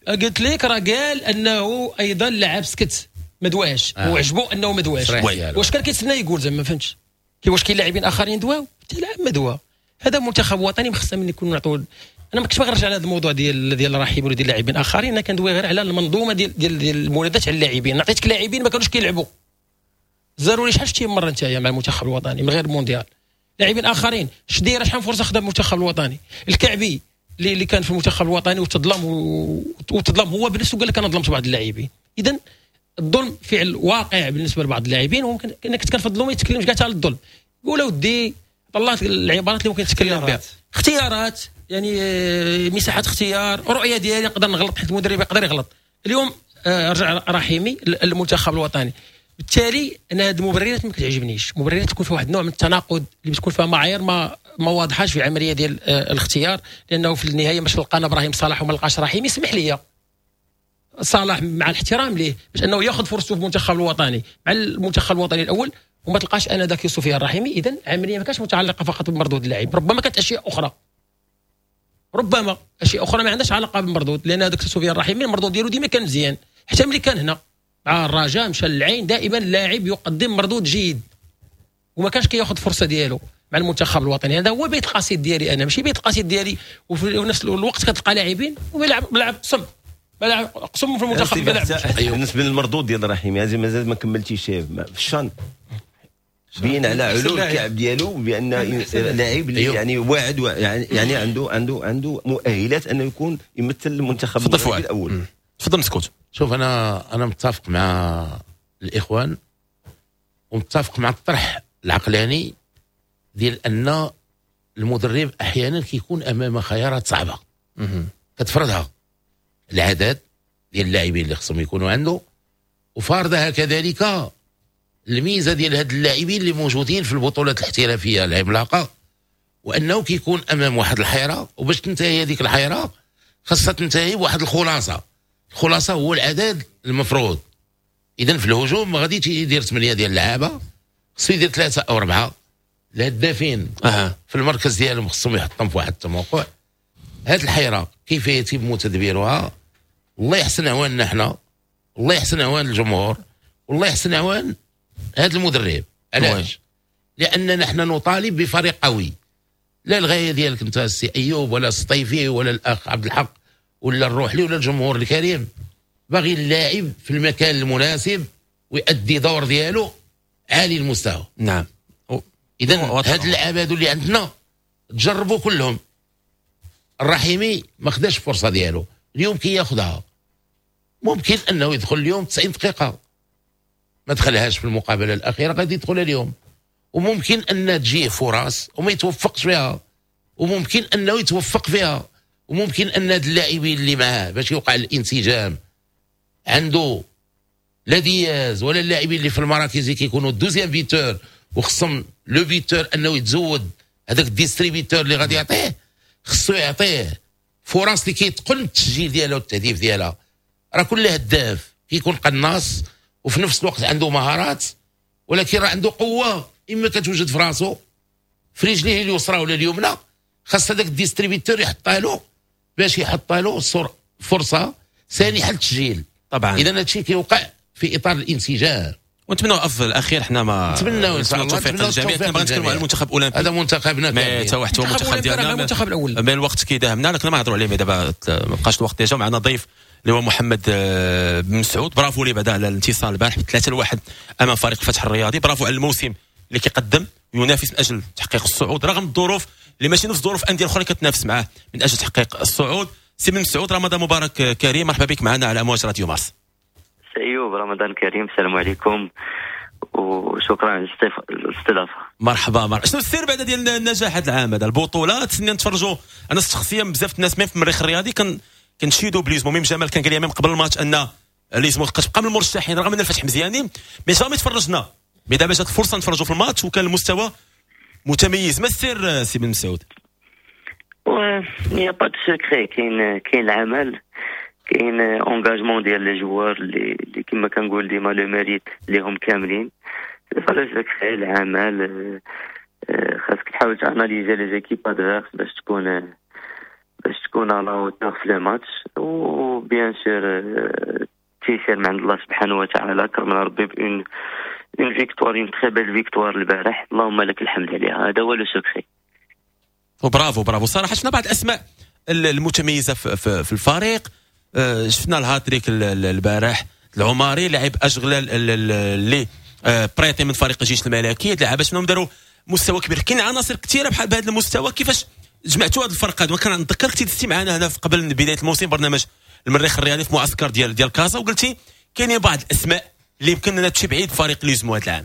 Speaker 4: قلت لك راه قال انه ايضا لعب سكت ما دواش وعجبو انه ما دواش. واش كان كيتسنى يقول زعما؟ ما فهمتش. واش كاين لاعبين اخرين دواو؟ حتى لاعب ما دوا. هذا منتخب وطني ما خصنا من يكون نعطوا. انا ما كنتش باغي نرجع على هذا الموضوع ديال رحيم ولا ديال لاعبين اخرين. انا كندوي غير على المنظومة ديال المنادات على اللاعبين. عطيتك لاعبين ما كانوش كيلعبوا. زارولي شحال شتي مرة انت مع المنتخب الوطني من غير المونديال. لاعبين اخرين شديره شحال فرصة خدا المنتخب الوطني. الكعبي اللي كان في المنتخب الوطني وتظلم هو بنفسه قال لك انا ظلمت بعض اللاعبين. اذا الظلم فعل واقع بالنسبة لبعض اللاعبين، وممكن انا كنت كنفضلهم ما يتكلمش كاع على الظلم. قول اودي طلعت العبارات اللي ممكن تتكلم بها. اختيارات يعني مساحات اختيار، رؤية ديالي نقدر نغلط حيت المدرب يقدر يغلط. اليوم رجع رحيمي للمنتخب الوطني. بالتالي انا هاد المبررات ما كتعجبنيش. مبررات تكون فيها واحد النوع من التناقض اللي بتكون فيها معايير ما واضحاش في العملية ديال الاختيار، لانه في النهاية باش لقانا ابراهيم صلاح وما لقاش رحيمي. اسمح لي صلاح مع الاحترام ليه باش انه ياخذ فرصته في المنتخب الوطني مع المنتخب الوطني الاول وما تلقاش انا ذاك سفيان الرحيمي. اذا العملية ما كانش متعلقه فقط بمردود اللاعب، ربما كانت اشياء اخرى، ربما اشياء اخرى ما عندهاش علاقة بالمردود، لان هذاك سفيان الرحيمي المردود ديالو ديما كان مزيان حتى ملي كان هنا مع الرجاء مشى للعين دائما اللاعب يقدم مردود جيد وما كانش كياخذ فرصة ديالو مع المنتخب الوطني. هذا هو بيت القصيد ديالي انا، ماشي بيت القصيد ديالي. وفي نفس الوقت كتلقى لاعبين وما لعب قسم ما لعب قسم في المنتخب ما لعبش.
Speaker 6: بالنسبة للمردود ديال الرحيمي هذه مازال ما كملتيش في الشان، بين على علو الكعب ديالو بان لاعب اللي يعني واعد يعني عنده مؤهلات انه يكون يمثل المنتخب المغربي الاول.
Speaker 2: تفضل مسكوت.
Speaker 5: شوف انا متفق مع الاخوان ومتفق مع الطرح العقلاني ديال ان المدرب احيانا كيكون امام خيارات صعبة كتفرضها العدد ديال اللاعبين اللي خصهم يكونوا عنده، وفارضها كذلك الميزة ديال هاد اللاعبين اللي موجودين في البطولات الاحترافية العملاقة، وانه كيكون امام واحد الحيرة، وباش تنتهي هذيك الحيرة خاصها تنتهي بواحد الخلاصة. الخلاصة هو العدد المفروض. اذا في الهجوم ما غاديش يدير 8 ديال اللعابه، خصو يدير 3 او 4 الهدافين في المركز ديالهم خصهم يحطهم في واحد التموقع. هاد الحيرة كيف يتم تدبيرها؟ الله يحسن عواننا حنا، الله يحسن عوان الجمهور، والله يحسن عوان هذا المدرب. علاش؟ لاننا نحن نطالب بفريق قوي. لا الغاية ديالك انت السي ايوب ولا السطيفي ولا الاخ عبد الحق ولا الروحلي ولا الجمهور الكريم، باغي اللاعب في المكان المناسب ويؤدي دور ديالو عالي المستوى.
Speaker 2: نعم.
Speaker 5: اذا هاد اللعابه هادو اللي عندنا تجربوا كلهم. الرحيمي ما خداش الفرصة ديالو، اليوم كياخذها، ممكن انه يدخل اليوم 90 دقيقة، ما دخلهاش في المقابلة الاخيرة غادي يدخلها اليوم، وممكن ان تجيه فرص وما يتوفقش فيها، وممكن انه يتوفق فيها، وممكن ان هاد اللاعبين اللي معاه باش يوقع الانسجام عنده لا دياز ولا اللاعبين اللي في المراكز اللي كيكونوا deuxième buteur، وخصهم le buteur انه يتزود هذاك ال distributeur اللي غادي يعطيه، خصو يعطيه فرص اللي كيتقن التسجيل ديالها والتهديف ديالها. راه كل هداف كيكون قناص وفي نفس الوقت عنده مهارات، ولكن راه عنده قوة اما كتوجد في راسو في رجليه اليسرى ولا اليمنى، خاص هذاك ال distributeur يحطها له باش يحط له فرصة سانحه للتسجيل.
Speaker 2: طبعا
Speaker 5: اذا هذا الشيء كيوقع في اطار الانسجام،
Speaker 2: ونتمنوا الافضل. الاخير حنا ما
Speaker 5: نتمنوا ان شاء الله
Speaker 2: التوفيق للجميع. كنا بغينا نتكلموا على المنتخب الاولمبي،
Speaker 5: هذا منتخبنا
Speaker 2: mais تا واحد هو المنتخب ديالنا،
Speaker 4: المنتخب الاول،
Speaker 2: mais الوقت كيداهمنا، لكن ما نهضروا عليه دابا، ما بقاش الوقت. déjà معنا ضيف اللي هو محمد بن مسعود، برافو ليه بعدا على الانتصار البارح 3-1 امام فريق الفتح الرياضي، برافو على الموسم اللي كيقدم وينافس من اجل تحقيق الصعود رغم الظروف اللي ماشي نفس ظروف اندية الاخرى كتنافس معاه من اجل تحقيق الصعود. سي بن مسعود، رمضان مبارك كريم، مرحبا بك معنا على امواج راديو مارس.
Speaker 12: ايوب، رمضان كريم، السلام عليكم وشكرا على الاستضافة.
Speaker 2: مرحبا مرحبا. شنو السر بعدا ديال النجاح هذا العام هذا البطولات؟ سنين نتفرجوا، انا شخصيا بزاف الناس même في المريخ الرياضي كنشيدوا ب l'USMO، même جمال كان قال لي même قبل الماتش ان l'USMO كتبقى من المرشحين رغم ان الفتح مزيانين، mais jamais تفرجنا، mais دابا جات الفرصة نتفرجوا في الماتش وكان المستوى متميز. ما السر سي بن مسعود؟
Speaker 12: y a pas de secret، كاين العمل، كاين engagement ديال les joueurs اللي كما كنقول ديما le mérite ليهم كاملين. c'est pas le secret، العمل، خاصك تحاول ت analyser les équipes adverses باش تكون à la hauteur في le match، و bien sûr تيسير من عند الله سبحانه وتعالى، كرمنا ربي ب une victoire، une très belle victoire البارح، اللهم لك الحمد عليها. هذا هو le secret.
Speaker 2: وبرافو برافو صراحة. شفنا بعض الاسماء المتميزة في الفريق، شفنا الهاتريك البارح العماري، لاعب اشغلال اللي prêté من فريق الجيش الملكي، لعابه شنو داروا مستوى كبير. كاين عناصر كثيرة بحال بهذا المستوى، كيفاش جمعتوا هذا الفرق هذا؟ وكنتذكر كنتي دزتي معنا هنا قبل بداية الموسم برنامج المريخ الرياضي في معسكر ديال كازا، وقلتي كاينين بعض الاسماء اللي يمكن لنا تمشي بعيد فريق l'USMO هذا العام.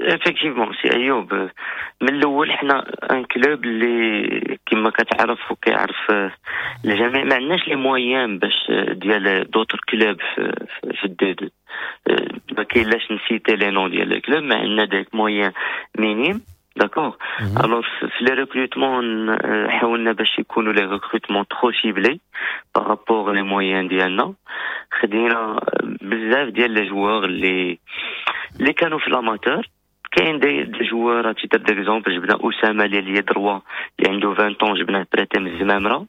Speaker 12: effectivement سي ايوب، من الاول حنا un club اللي كما كتعرف وكيعرف الجميع ما عندناش les moyens باش ديال d'autres clubs في ال D2، ما كاين لاش ن citer les noms ديال ال clubs، ما عندنا des moyens minimes، d'accord. alors في les recrutements حاولنا باش يكونوا les recrutements trop ciblés par rapport les moyens ديالنا. خدينا بزاف ديال les joueurs اللي كانوا في l'amateur، كاين des joueurs à titre d'exemple، جبنا اسامة اللي droit اللي عنده 20 ans، جبناه prêté من الزمامره.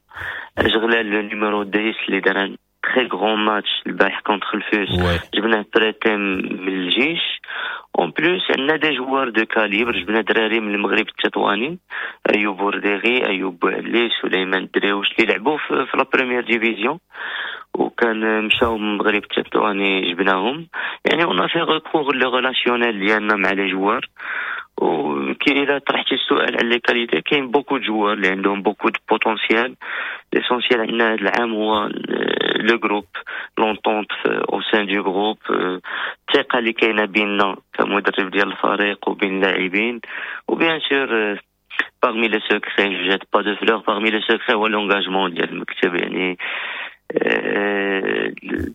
Speaker 12: اشغلال le numéro 10 اللي دار un très grand match البارح contre ال FUS، جبناه prêté من الجيش. en plus عندنا des joueurs de calibre، جبنا دراري من المغرب التطواني، ايوب بورديغي، ايوب بوعلي، سليمان دريوش اللي لعبوا في la première division وكان مشاو من المغرب التطواني جبناهم. يعني on fait recours le relationnel ديالنا مع les joueurs. وكي الا طرحتي السؤال على les qualités، كاين beaucoup de joueurs اللي عندهم beaucoup de potentiel. l'essentiel عندنا هذا العام هو le groupe، l'entente au sein du groupe، الثقة اللي كاينه بيننا كمدرب ديال الفريق وبين اللاعبين. و bien sûr parmi les secrets، je jette pas de fleurs، parmi les secrets هو l'engagement ديال المكتب. يعني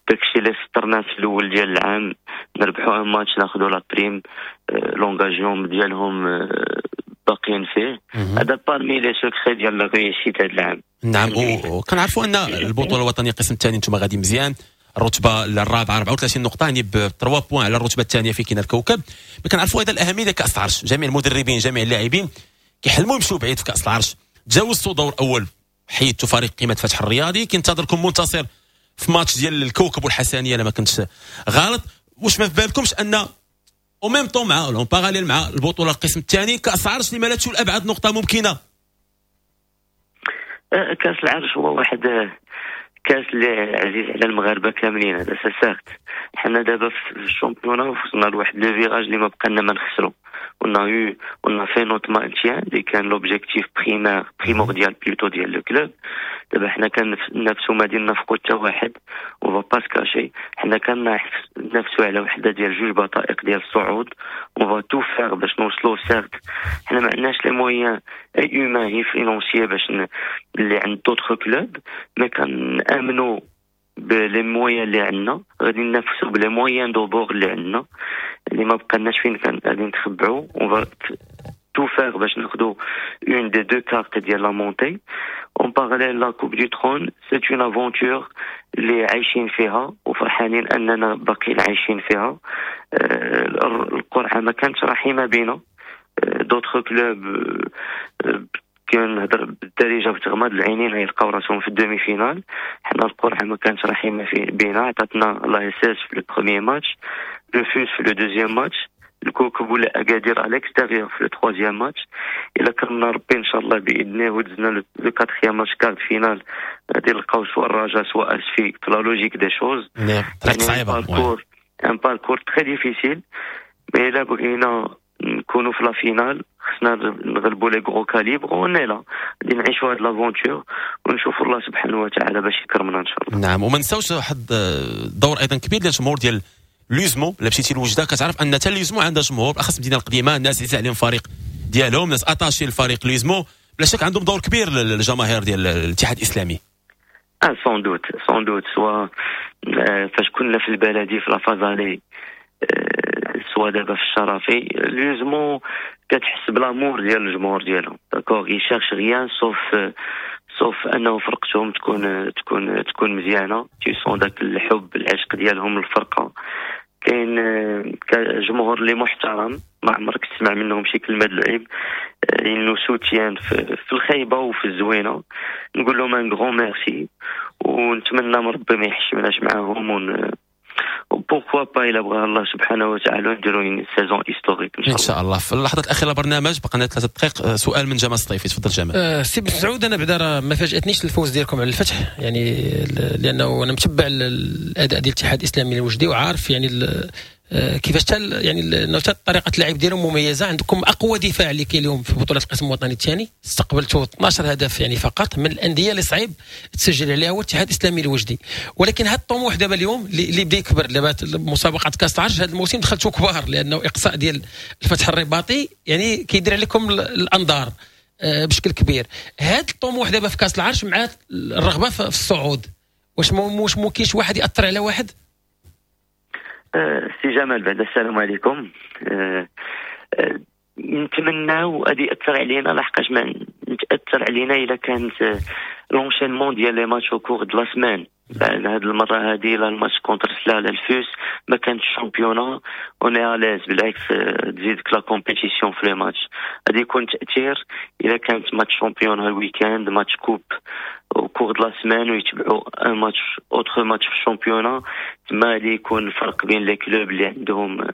Speaker 12: داكشي اللي سطرنا في الاول ديال العام، نربحو un match ناخذو la prime، l'engagement ديالهم باقيين فيه. هذا parmi les secrets ديال la réussite هذا العام.
Speaker 2: نعم، وكنعرفوا ان البطولة الوطنية القسم الثاني انتم غادي مزيان، الرتبة الرابعة 34 نقطة، يعني ب 3 points على الرتبة الثانية في كاين الكوكب. ما كنعرفوا ايضا الاهمية ديال كاس العرش، جميع المدربين جميع اللاعبين كيحلموا يمشوا بعيد في كاس العرش. تجاوزتوا دور اول، حيدتوا فريق قيمة فتح الرياضي، كينتظركم منتصر في ماتش ديال الكوكب والحسنيه لما كنتش غلط. واش ما في بالكمش ان au même temps مع en parallèle مع البطولة القسم الثاني كاس العرش اللي مالتش لابعد نقطة ممكنة؟
Speaker 12: كاس العرش هو واحد كاس اللي عزيز على المغاربة كاملين، هذا certes. حنا دابا في ال championnat وصلنا لواحد le virage اللي ما بقى لنا ما نخسرو. on a fait notre maintien اللي كان l'objectif primaire primordial plutôt ديال le club. دابا حنا كننافسو ما ديال نفقو حتى واحد، on va pas se cacher، حنا كننافسو على وحده ديال جوج بطائق ديال الصعود. on va tout faire باش نوصلو. certes حنا ما عندناش les moyens humains financiers باش اللي عند d'autres clubs، mais كنامنو ب les moyens اللي عندنا، غادي ننافسو ب les moyens de bord اللي عندنا، اللي ما بقناش فين كان غادي نتخبعو. on va tout faire باش ناخدو une des deux cartes ديال la montée. en parallèle la Coupe du Trône c'est une aventure اللي عايشين فيها وفرحانين اننا باقيين عايشين فيها. القرعة ما كانتش رحيمه بينا، d'autres clubs كنهضر بالدارجة بتغمض العينين غيلقاو راسهم في ال demi-finale. حنا القرعة ما كانتش رحيمه في بينا، عطاتنا l'ASS في le premier match، le FUS في le deuxième match، الكوكب ولا اكادير à l'extérieur في le troisième match. الا كرمنا ربي ان شاء الله باذنه ودزنا le quatrième match quart de finale، غادي نلقاو soit الرجاء soit اسفي في la logique des choses.
Speaker 2: طريق صعيبه،
Speaker 12: parcours un parcours très difficile، mais الا بغينا نكونوا في la finale خصنا نغلبوا les gros calibres. on est là، غادي نعيشوا هاد l'aventure ونشوفوا الله سبحانه وتعالى باش يكرمنا ان شاء الله.
Speaker 2: نعم، وما نساوش واحد الدور ايضا كبير ديال الجمهور ديال l'USMO. الا مشيتي لوجده كتعرف ان حتى l'USMO عندها جمهور، بالاخص المدينة القديمه، الناس عزيز عليهم الفريق ديالهم، ناس attachés الفريق l'USMO. بلا شك عندهم دور كبير الجماهير ديال الاتحاد الاسلامي.
Speaker 12: اه sans doute، sans doute، soit فاش كنا في البلدي في la phase aller، soit دابا في الشرفي، l'USMO كتحس ب l'amour ديال الجمهور ديالهم، d'accord، ils cherchent rien sauf انه فرقتهم تكون مزيانه. tu sens داك الحب، العشق ديالهم للفرقه. كاين جمهور اللي محترم، ما عمرك تسمع منهم شي كلمة العيب، ils nous soutiennent في الخيبه وفي الزوينه. نقول لهم un grand merci ونتمنى من ربي ما يحشمناش معاهم، ون pourquoi pas الا بغى الله سبحانه وتعالى نديرو une saison historique.
Speaker 2: ان شاء الله. ان شاء الله. في اللحظات الاخيرة البرنامج، بقى لنا 3 دقائق، سؤال من جمال السطيفي، تفضل جمال.
Speaker 4: سي بن سعود، انا بعدا راه ما فاجاتنيش الفوز ديالكم على الفتح، يعني لانه انا متبع الاداء ديال الاتحاد الاسلامي الوجدي وعارف يعني كيفاش حتى يعني طريقه اللعب ديالهم مميزه. عندكم اقوى دفاع اللي كاين اليوم في بطوله القسم الوطني الثاني، استقبلتوا 12 هدف يعني فقط. من الاندية اللي صعيب تسجل عليها هو الاتحاد الاسلامي الوجدي. ولكن هذا الطموح دابا اليوم اللي بدا يكبر دابا، مسابقة كاس العرش هذا الموسم دخلتوا كبار، لانه اقصاء ديال الفتح الرباطي يعني كيدير عليكم الانظار بشكل كبير. هذا الطموح دابا في كاس العرش مع الرغبة في الصعود، واش ممكن واحد ياثر على واحد؟
Speaker 12: سي جمال، بعد السلام عليكم. نتمناو غادي ياثر علينا، لحقاش ما نتاثر علينا الا كانت l'enchaînement ديال les matchs au cours de la semaine. هاد المرة هادي لا ال match contre سلا لا الفوس ما كانتش championnat، on est à l'aise، بالعكس تزيدك la compétition في les matchs. غادي يكون تاثير الا كانت match championnat ال week-end، match coupe au cours de la semaine، ويتبعوا un match autre match في ال championnat. تما غادي يكون الفرق بين les clubs اللي عندهم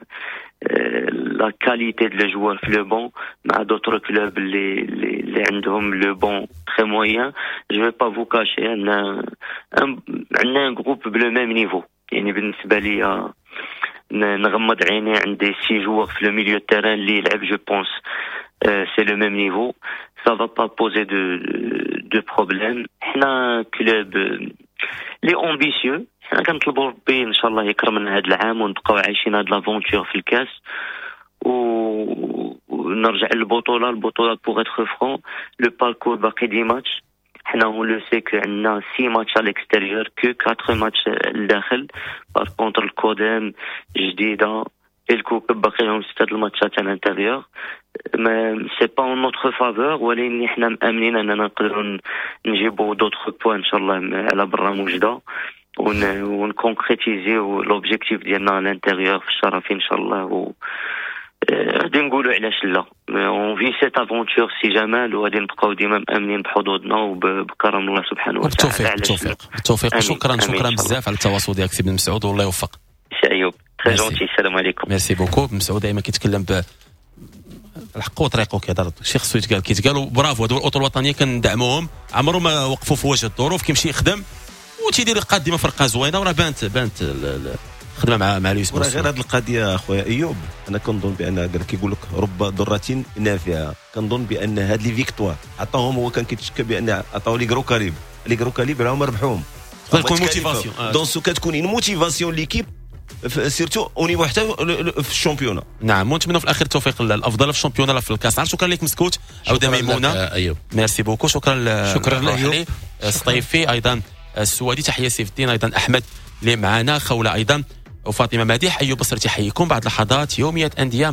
Speaker 12: la qualité de les joueurs في le banc مع d'autres clubs اللي عندهم le banc très moyen. je vais pas vous cacher، عندنا un groupe ب le même niveau. يعني بالنسبة لي نغمض عيني، عندي six joueurs في le milieu terrain اللي يلعب، je pense c'est le même niveau، ça va pas poser de problème. حنا club اللي ambitieux، حنا كنطلبوا ربي ان شاء الله يكرمنا هذا العام ونبقاو عايشين هاد l'aventure في الكاس ونرجع للبطوله. البطولة pour être franc، le parcours باقي 10 ماتش. حنا on le sait que عندنا 6 matchs à l'extérieur que 4 ماتش لداخل. par contre الكودام، جديده، الكوكب باقي لهم ستة الماتشات à l'intérieur، mais c'est pas en notre faveur، ولكن حنا مامنين اننا نقدروا نجيبوا d'autres points ان شاء الله على برا موجده ون concrétiser l'objectif ديالنا à l'intérieur في الشرفي ان شاء الله. و غادي نقولوا علاش لا، on vit cette aventure سي جمال، وغادي نبقاو ديما مامنين بحظوظنا وبكرم الله سبحانه وتعالى.
Speaker 2: بالتوفيق، بالتوفيق، بالتوفيق. شكرا، شكرا بزاف على التواصل ديالك سي بن مسعود، والله يوفق.
Speaker 12: سي ايوب، très gentil، السلام عليكم.
Speaker 2: merci beaucoup. بن مسعود دائما كيتكلم ب الحق وطريقه، كيهضر شي خصو يتقال كيتقال. برافو، هادو الاطر الوطنية كندعموهم، عمرو ما وقفوا في وجه الظروف، كيمشي يخدم وتيدير قاد ديما فرقه زوينه، وراه بانت الخدمة مع لويس.
Speaker 6: غير هذه القضية اخويا ايوب، انا كنظن بان قال كيقول لك رب ضره نافعه. كنظن بان هاد les victoires عطاهم، هو كان كيتشكى بان عطاو les gros calibres، les gros calibres راهم ربحوهم.
Speaker 2: تكون motivation.
Speaker 6: dans ce cas تكون une motivation l'équipe، surtout au niveau حتى في ال championnat.
Speaker 2: نعم، ونتمنى في الاخير التوفيق الافضل في ال championnat في الكاس. شكرا لك مسكوت، عوده ميمونه.
Speaker 5: ايوب.
Speaker 2: merci beaucoup، شكرا.
Speaker 4: شكرا
Speaker 2: ايوب السطيفي، ايضا السوادي، تحية سيف الدين، ايضا احمد اللي معنا، خوله ايضا وفاطمة مديح. ايوب بصري تحييكم. بعد لحظات يومية اندية مع